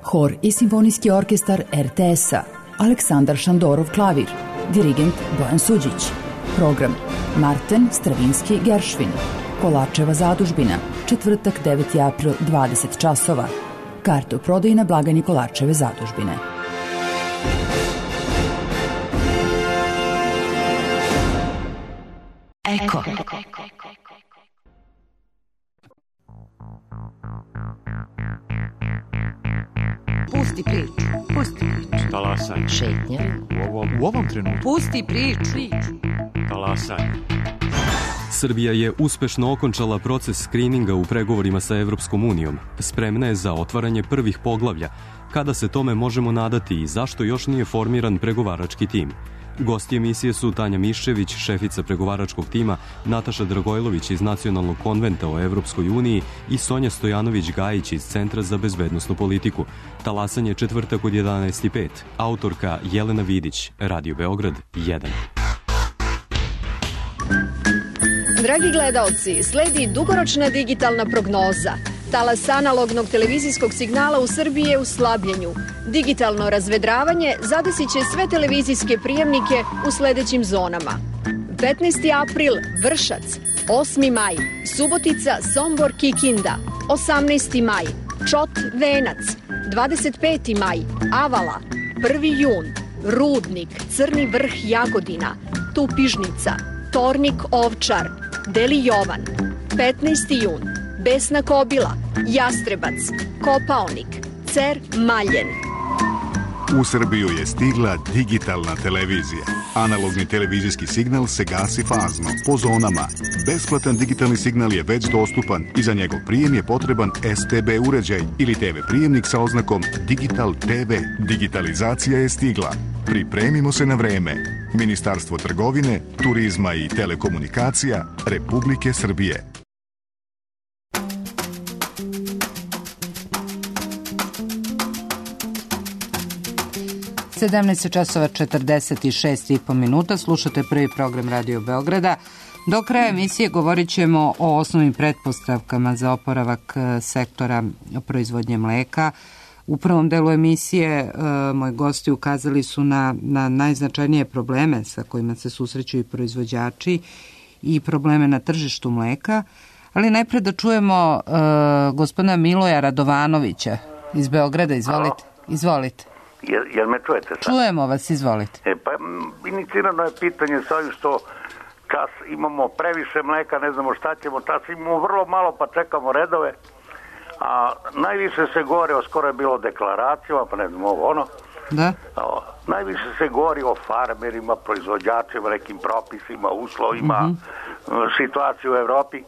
Hor i simfonijski orkestar RTS-a, Aleksandar Šandorov klavir, dirigent Bojan Suđić. Program Marten Stravinski Geršvin, Kolačeva zadužbina, četvrtak 9. april 20 časova. Karte u prodaji na blagajni Kolačeve zadužbine. Eko. Pusti priču. Pusti priču. Talasaj. Šetnja. U ovom trenutku. Pusti priču. Talasaj. Srbija je uspešno okončala proces skrininga u pregovorima sa Evropskom unijom. Spremna je za otvaranje prvih poglavlja. Kada se tome možemo nadati i zašto još nije formiran pregovarački tim? Gosti emisije su Tanja Miščević, šefica pregovaračkog tima, Nataša Dragojlović iz Nacionalnog konventa o Evropskoj uniji i Sonja Stojanović-Gajić iz Centra za bezbednosnu politiku. Talasanje četvrtak od 11:05. Autorka Jelena Vidić, Radio Beograd 1. Dragi gledaoci, sledi dugoročna digitalna prognoza. Talas analognog televizijskog signala u Srbiji je u slabljenju. Digitalno razvedravanje zadesit će sve televizijske prijemnike u sledećim zonama. 15. april Vršac, 8. maj Subotica, Sombor, Kikinda, 18. maj Čot, Venac, 25. maj Avala, 1. jun Rudnik, Crni Vrh, Jagodina, Tupižnica, Tornik, Ovčar, Deli Jovan, 15. jun Besna Kobila, Jastrebac, Kopaonik, Cer, Maljen. U Srbiju je stigla digitalna televizija. Analogni televizijski signal se gasi fazno, po zonama. Besplatan digitalni signal je već dostupan i za njegov prijem je potreban STB uređaj ili TV prijemnik sa oznakom Digital TV. Digitalizacija je stigla. Pripremimo se na vreme. Ministarstvo trgovine, turizma i telekomunikacija Republike Srbije. 17 časova 46,5 minuta. Slušate prvi program Radio Beograda. Do kraja emisije govorit ćemo o osnovnim pretpostavkama za oporavak sektora proizvodnje mleka. U prvom delu emisije moji gosti ukazali su na najznačajnije probleme sa kojima se susreću i proizvođači i probleme na tržištu mleka. Ali najpre da čujemo gospodina Miloja Radovanovića iz Beograda. Izvolite. Izvolite. Jel me čujete sad? Čujemo vas, izvolite. Pa inicirano je pitanje sa ovim što čas imamo previše mleka, ne znamo šta ćemo, čas imamo vrlo malo pa čekamo redove, a najviše se govori, skoro je bilo deklaracijama, pa ne znam ovo ono, da? Najviše se govori o farmerima, proizvođačima, nekim propisima, uslovima, situaciju u Evropi,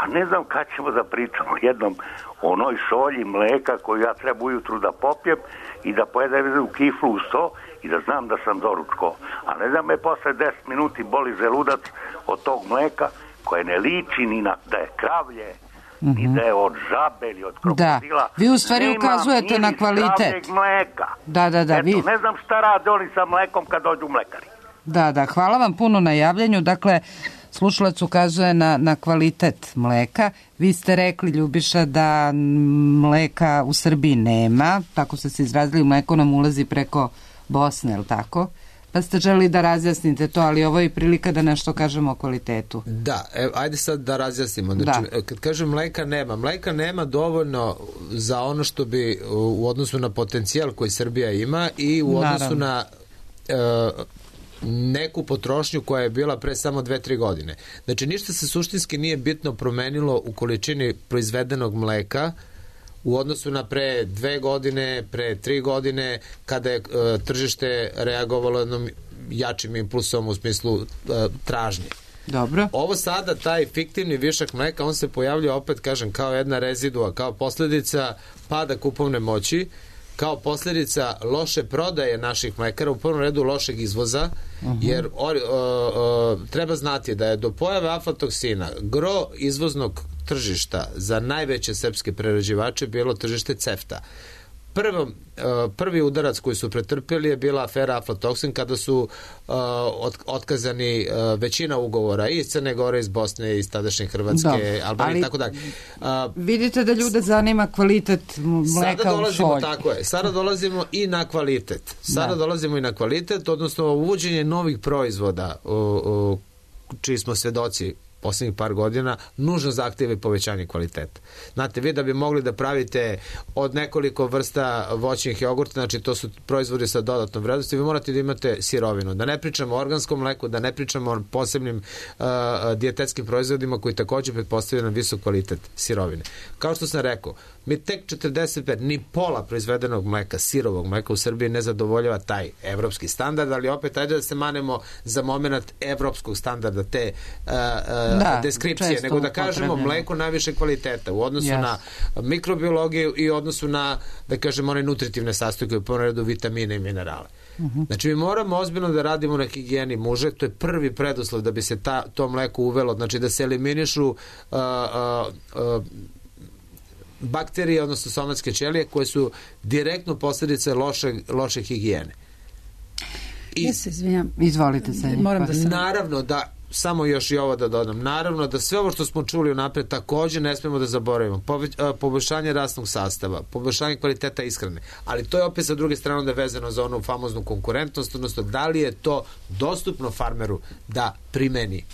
a ne znam kad ćemo da pričamo jednom o onoj šolji mleka koju ja treba ujutru da popijem i da pojedem u kiflu uz to i da znam da sam doručko. A ne da me posle 10 minuti boli želudac od tog mleka koje ne liči ni na da je kravlje, ni da je od žabe ili od krokodila. Da, vi u stvari ukazujete na kvalitet. Mleka. Da. Eto, ne znam šta rade oni sa mlekom kad dođu mlekari. Da, hvala vam puno na javljanju. Dakle, slušalac ukazuje na kvalitet mleka. Vi ste rekli, Ljubiša, da mleka u Srbiji nema, tako ste se izrazili, mleko nam ulazi preko Bosne, je li tako? pa ste želi da razjasnite to, ali ovo je prilika da nešto kažemo o kvalitetu. Da, ajde sad da razjasnimo. Znači, kad kažem mleka nema dovoljno za ono što bi u odnosu na potencijal koji Srbija ima i u odnosu na neku potrošnju koja je bila pre samo 2-3 godine. Znači, ništa se suštinski nije bitno promenilo u količini proizvedenog mleka u odnosu na pre 2 godine, pre 3 godine, kada je tržište reagovalo jednom jačim impulsom u smislu tražnje. Dobro. Ovo sada, taj fiktivni višak mleka, on se pojavlja, opet kažem, kao jedna rezidua, kao posledica pada kupovne moći, kao posljedica loše prodaje naših mlekara, u prvom redu lošeg izvoza, jer treba znati da je do pojave aflatoksina gro izvoznog tržišta za najveće srpske prerađivače bilo tržište CEFTA. Prvi udarac koji su pretrpjeli je bila afera aflatoksin, kada su otkazani većina ugovora iz Crne Gore, iz Bosne, iz tadašnje Hrvatske, Albanije i tako dalje. Vidite da ljude zanima kvalitet mleka u šolji. Tako je. Sada dolazimo i na kvalitet. Odnosno uvođenje novih proizvoda čiji smo svedoci posljednjih par godina, nužno zahtjeva i povećanje kvaliteta. Znate, vi da bi mogli da pravite od nekoliko vrsta voćnih jogurta, znači to su proizvodi sa dodatnom vrednosti, vi morate da imate sirovinu. Da ne pričamo o organskom mleku, da ne pričamo o posebnim dijetetskim proizvodima koji također pretpostavljaju na visok kvalitet sirovine. Kao što sam rekao, mi tek 45, ni pola proizvedenog mleka, sirovog mleka u Srbiji ne zadovoljava taj evropski standard, ali opet ajde da se manemo za moment evropskog standarda te deskripcije, nego da kažemo mleko najviše kvaliteta u odnosu na mikrobiologiju i odnosu na, da kažemo, one nutritivne sastojke, u prvom redu vitamine i minerale. Znači, mi moramo ozbiljno da radimo na higijeni muže, to je prvi preduslov da bi se to mleko uvelo, znači da se eliminišu bakterije, odnosno somatske ćelije, koje su direktno posljedice loše higijene. Ja se izvinjam. Izvolite se. Naravno da, samo još i ovo da dodam, naravno da sve ovo što smo čuli unapred također ne smemo da zaboravimo. Poboljšanje rasnog sastava, poboljšanje kvaliteta ishrane, ali to je opet sa druge strane da vezano za onu famoznu konkurentnost, odnosno da li je to dostupno farmeru da primeni.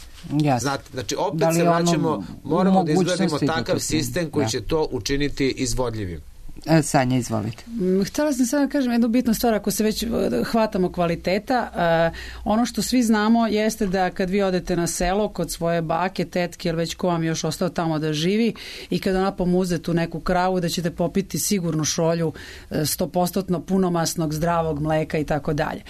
Znate, znači opet se vraćamo, moramo da izgradimo takav sistem koji će to učiniti izvodljivim. Sanja, izvolite. Htjela sam samo da kažem jednu bitnu stvar, ako se već hvatamo kvaliteta, ono što svi znamo jeste da kad vi odete na selo kod svoje bake, tetke ili već ko vam još ostao tamo da živi i kad ona pomuze tu neku kravu, da ćete popiti sigurno šolju 100% punomasnog zdravog mleka i tako dalje.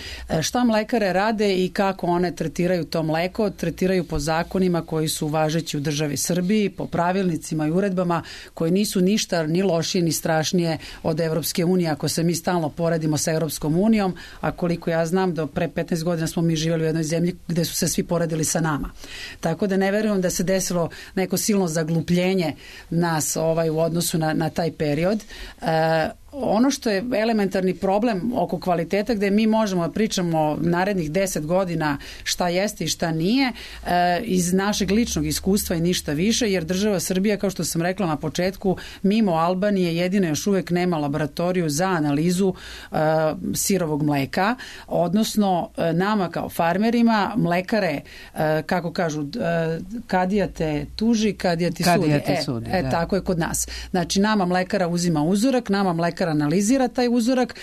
Šta mlekare rade i kako one tretiraju to mleko? Tretiraju po zakonima koji su važeći u državi Srbiji, po pravilnicima i uredbama koji nisu ništa ni lošije ni strašnije od Evropske unije, ako se mi stalno poredimo sa Evropskom unijom, a koliko ja znam, do pre 15 godina smo mi živjeli u jednoj zemlji gde su se svi poredili sa nama. Tako da ne verujem da se desilo neko silno zaglupljenje nas u odnosu na taj period. Ono što je elementarni problem oko kvaliteta, gde mi možemo da pričamo narednih 10 godina šta jeste i šta nije, iz našeg ličnog iskustva i ništa više, jer država Srbija, kao što sam rekla na početku, mimo Albanije jedina još uvek nema laboratoriju za analizu sirovog mleka, odnosno nama kao farmerima, mlekare, kako kažu, kadija te tuži, kadija ti sudi. Tako je kod nas. Znači, nama mlekara uzima uzorak, nama mlekara analizira taj uzorak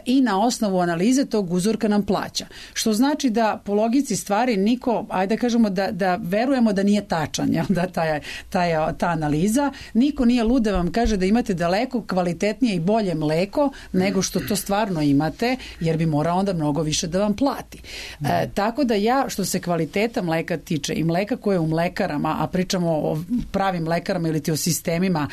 i na osnovu analize tog uzorka nam plaća. Što znači da po logici stvari niko, ajde da kažemo da verujemo da nije tačan, da ta analiza, niko nije lud da vam kaže da imate daleko kvalitetnije i bolje mleko nego što to stvarno imate, jer bi morao onda mnogo više da vam plati. Tako da ja, što se kvaliteta mleka tiče i mleka koje je u mlekarama, a pričamo o pravim mlekarama ili ti o sistemima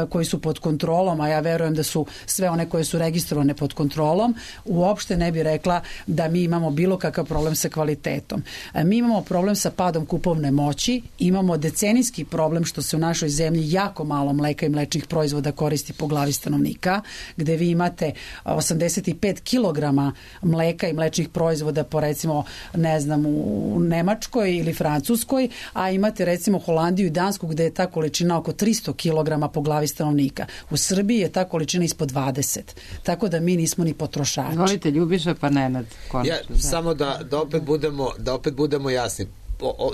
koji su pod kontrolom, a ja verujem da su sve one koje su registrovane pod kontrolom, uopšte ne bi rekla da mi imamo bilo kakav problem sa kvalitetom. Mi imamo problem sa padom kupovne moći, imamo decenijski problem što se u našoj zemlji jako malo mleka i mlečnih proizvoda koristi po glavi stanovnika, gde vi imate 85 kilograma mleka i mlečnih proizvoda po recimo, ne znam, u Nemačkoj ili Francuskoj, a imate recimo Holandiju i Dansku gde je ta količina oko 300 kilograma po glavi stanovnika. U Srbiji je ta količina ispod 20. Tako da mi nismo ni potrošači. Volite Ljubiša pa Nenad. Samo da opet budemo jasni.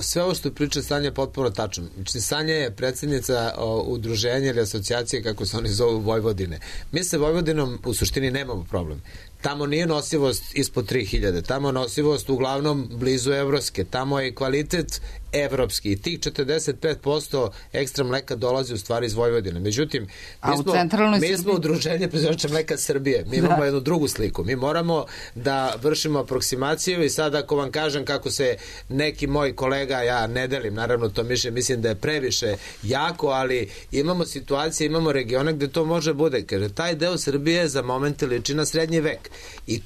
Sve ovo što priča Sanja je potpuno tačno. Znači, Sanja je predsjednica udruženja ili asocijacije, kako se oni zovu, Vojvodine. Mi sa Vojvodinom u suštini nemamo problem. Tamo nije nosivost ispod 3000, tamo je nosivost uglavnom blizu evropske, tamo je kvalitet evropski i tih 45% ekstra mleka dolazi u stvari iz Vojvodine. Međutim, mi smo udruženje proizvođača mleka Srbije, mi imamo jednu drugu sliku. Mi moramo da vršimo aproksimaciju i sad ako vam kažem kako se neki moj kolega, ja ne delim, naravno to mislim da je previše jako, ali imamo situacije, imamo regione gde to može bude, jer taj deo Srbije za moment liči na srednji vek. I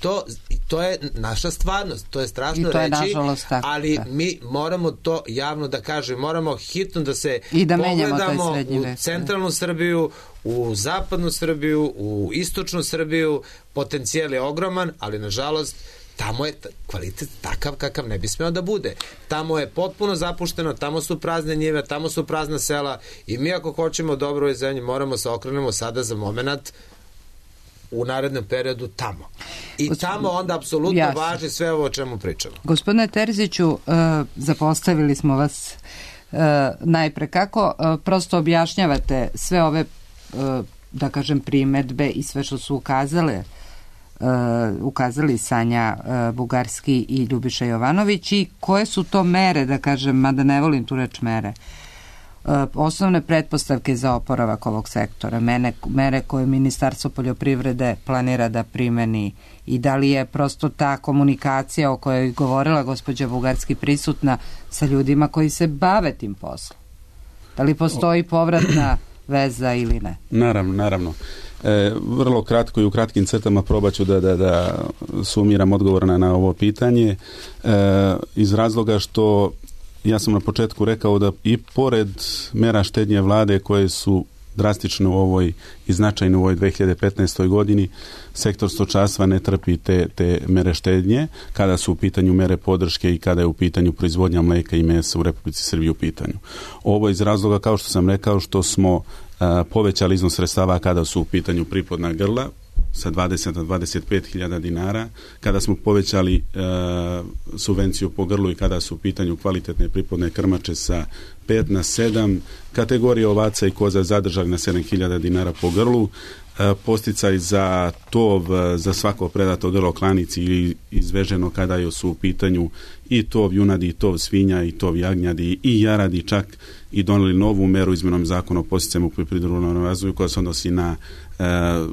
to je naša stvarnost, to je strašno reći, ali mi moramo to javno da kažem, moramo hitno da se pogledamo u centralnu Srbiju, u zapadnu Srbiju, u istočnu Srbiju, potencijal je ogroman, ali nažalost tamo je kvalitet takav kakav ne bi smeo da bude. Tamo je potpuno zapušteno, tamo su prazne njive, tamo su prazna sela i mi ako hoćemo dobro ovoj zemlji moramo se okrenemo sada za moment u narednom periodu tamo. I tamo onda apsolutno važi sve ovo o čemu pričamo. Gospodine Terziću, zapostavili smo vas najpre. Kako prosto objašnjavate sve ove, da kažem, primedbe i sve što su ukazali Sanja Bugarski i Ljubiša Jovanović i koje su to mere, da kažem, mada ne volim tu reč mere, osnovne pretpostavke za oporavak ovog sektora, mere koje Ministarstvo poljoprivrede planira da primeni i da li je prosto ta komunikacija o kojoj je govorila gospođa Bugarski prisutna sa ljudima koji se bave tim poslom? Da li postoji povratna veza ili ne? Naravno. Vrlo kratko i u kratkim crtama probat ću da sumiram odgovor na ovo pitanje iz razloga što ja sam na početku rekao da i pored mera štednje vlade koje su drastično u ovoj i značajno u ovoj 2015. godini, sektor stočarstva ne trpi te mere štednje kada su u pitanju mere podrške i kada je u pitanju proizvodnja mleka i mesa u Republici Srbiji u pitanju. Ovo iz razloga, kao što sam rekao, što smo povećali iznos sredstava kada su u pitanju priplodna grla sa 20 na 25.000 dinara, kada smo povećali subvenciju po grlu i kada su u pitanju kvalitetne priplodne krmače sa 5 na 7, kategorije ovaca i koza zadržali na 7.000 dinara po grlu, posticaj za tov za svako predato grlo klanici ili izveženo kada su u pitanju i tov junadi, i tov svinja, i tov jagnjadi, i jaradi, čak i doneli novu meru izmenom zakona o podsticajima u poljoprivrednom razvoju koja se odnosi na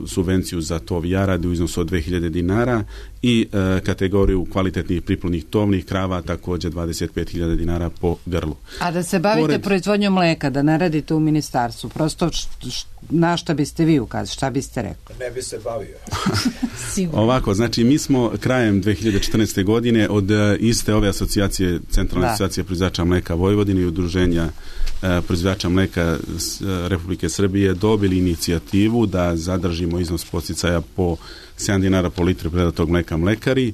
subvenciju za tov jaradi u iznosu od 2.000 dinara i kategoriju kvalitetnih priplodnih tovnih krava također 25.000 dinara po grlu. A da se bavite proizvodnjom mleka, da ne radite u ministarstvu, prosto na šta biste vi ukazali, šta biste rekli? Ne bi se bavio. Ovako, znači mi smo krajem 2014. godine od iste ove asocijacije, centralne asocijacije proizvođača mleka Vojvodine i udruženja proizvođača mleka Republike Srbije dobili inicijativu da zadržimo iznos podsticaja po 7 dinara po litri predatog mleka mlekari.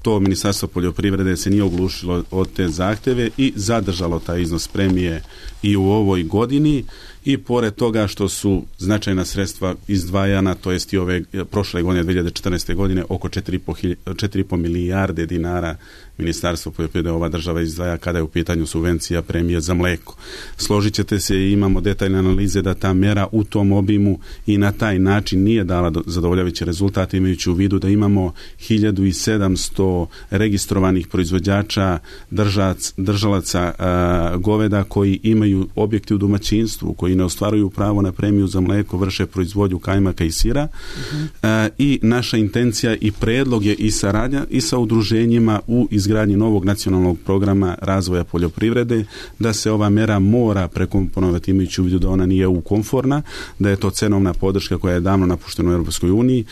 To Ministarstvo poljoprivrede se nije oglušilo od te zahteve i zadržalo taj iznos premije i u ovoj godini i pored toga što su značajna sredstva izdvajana, to jest i ove prošle godine, 2014. godine, oko 4,5 milijarde dinara Ministarstvo poljoprivrede ova država izdvaja kada je u pitanju subvencija premije za mleko. Složit ćete se, imamo detaljne analize da ta mera u tom obimu i na taj način nije dala zadovoljavajući rezultat, imajući u vidu da imamo 1700 registrovanih proizvođača, držalaca goveda koji imaju objekte u domaćinstvu, koji ne ostvaruju pravo na premiju za mleko, vrše proizvodnju kajmaka i sira. I naša intencija i predlog je i saradnja i sa udruženjima u izgradnji novog nacionalnog programa razvoja poljoprivrede, da se ova mera mora prekomponovati imajući u vidu da ona nije EU-konforna, da je to cenovna podrška koja je davno napuštena u Europskoj uniji,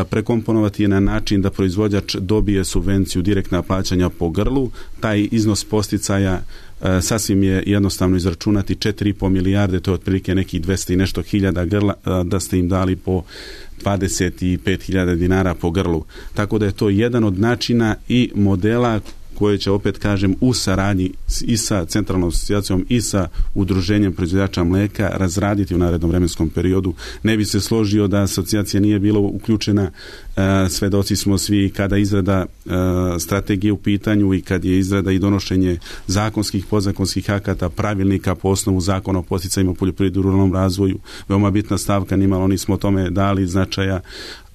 prekomponovati je na način da proizvođač dobije subvenciju direktna plaćanja po grlu, taj iznos posticaja sasvim je jednostavno izračunati 4,5 milijarde, to je otprilike nekih 200 i nešto hiljada grla, da ste im dali po 25.000 dinara po grlu. Tako da je to jedan od načina i modela koje će, opet kažem, u saradnji i sa centralnom asocijacijom i sa udruženjem proizvođača mleka razraditi u narednom vremenskom periodu. Ne bi se složio da asocijacija nije bila uključena. Svedoci smo svi kada izrada strategije u pitanju i kad je izrada i donošenje zakonskih, podzakonskih akata, pravilnika po osnovu zakona o podsticajima poljoprivredi i ruralnom razvoju. Veoma bitna stavka, nimalo nismo o tome dali značaja.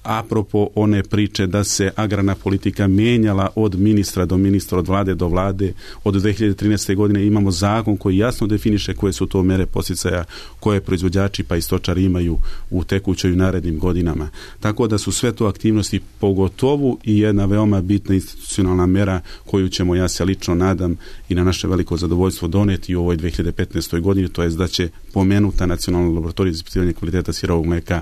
Apropo one priče da se agrarna politika mijenjala od ministra do ministra, od vlade do vlade, od 2013. godine imamo zakon koji jasno definiše koje su to mere podsticaja koje proizvođači pa i stočari imaju u tekućoj i narednim godinama. Tako da su sve to aktivnosti, pogotovo i jedna veoma bitna institucionalna mera koju ćemo, ja se lično nadam i na naše veliko zadovoljstvo, doneti u ovoj 2015. godini, to je da će pomenuta nacionalna laboratorija za ispitivanje kvaliteta sirovog mleka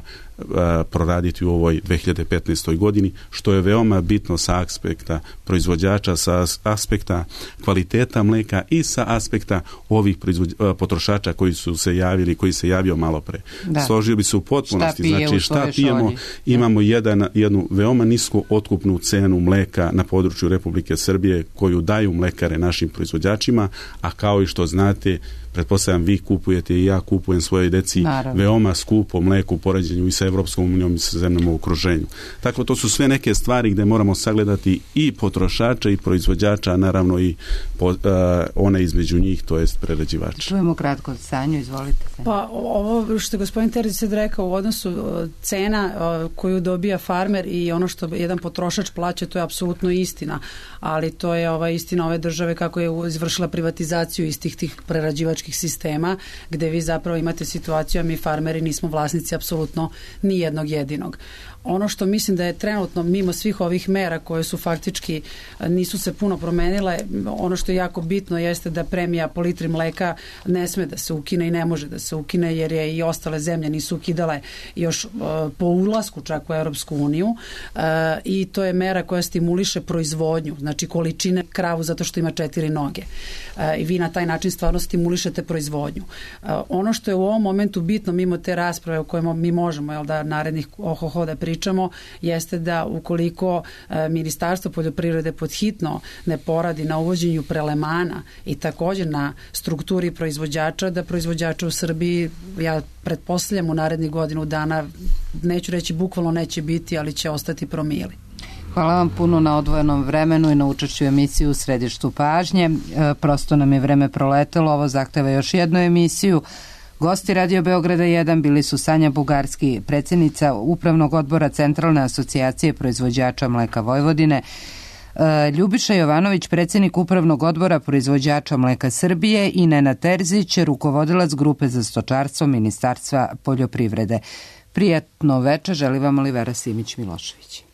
proraditi u ovoj 2015. godini, što je veoma bitno sa aspekta proizvođača, sa aspekta kvaliteta mleka i sa aspekta ovih potrošača koji su se javili, koji se javio malo pre. Složio bi se u potpunosti, znači šta pijemo, imamo jednu veoma nisku otkupnu cenu mleka na području Republike Srbije koju daju mlekare našim proizvođačima, a kao i što znate, pretpostavljam vi kupujete i ja kupujem svojoj deci veoma skupo mleko u poređenju i sa Evropskom unijom i sa zemljama u okruženju. Tako to su sve neke stvari gde moramo sagledati i potrošača i proizvođača, a naravno i one između njih, to jest prerađivača. Čujemo kratko, Sanju, izvolite. Pa ovo što je gospodin Terzić sad rekao u odnosu cena koju dobija farmer i ono što jedan potrošač plaća, to je apsolutno istina, ali to je istina ove države kako je izvršila privatizaciju istih tih prerađivačkih sistema, gde vi zapravo imate situaciju, a mi farmeri nismo vlasnici apsolutno ni jednog jedinog. Ono što mislim da je trenutno, mimo svih ovih mera koje su faktički nisu se puno promenile, ono što je jako bitno jeste da premija po litri mleka ne sme da se ukine i ne može da se ukine, jer je i ostale zemlje nisu ukidale još po ulasku čak u Europsku uniju, i to je mera koja stimuliše proizvodnju, znači količine kravu zato što ima 4 noge. I vi na taj način stvarno stimulišete proizvodnju. Ono što je u ovom momentu bitno, mimo te rasprave o kojima mi možemo, da narednih da pričamo, jeste da ukoliko Ministarstvo poljoprivrede podhitno ne poradi na uvođenju prelemana i također na strukturi proizvođača, da proizvođača u Srbiji, ja pretpostavljam, u narednih godinu dana, neću reći bukvalno neće biti, ali će ostati promili. Hvala vam puno na odvojenom vremenu i na učešću emisiju u središtu pažnje. Prosto nam je vreme proletelo, ovo zahteva još jednu emisiju. Gosti Radio Beograda 1 bili su Sanja Bugarski, predsjednica Upravnog odbora Centralne asocijacije proizvođača mleka Vojvodine, Ljubiša Jovanović, predsjednik Upravnog odbora proizvođača mleka Srbije, i Nenad Terzić, rukovodilac grupe za stočarstvo Ministarstva poljoprivrede. Prijatno veče, želi vam Olivera Simić Milošević.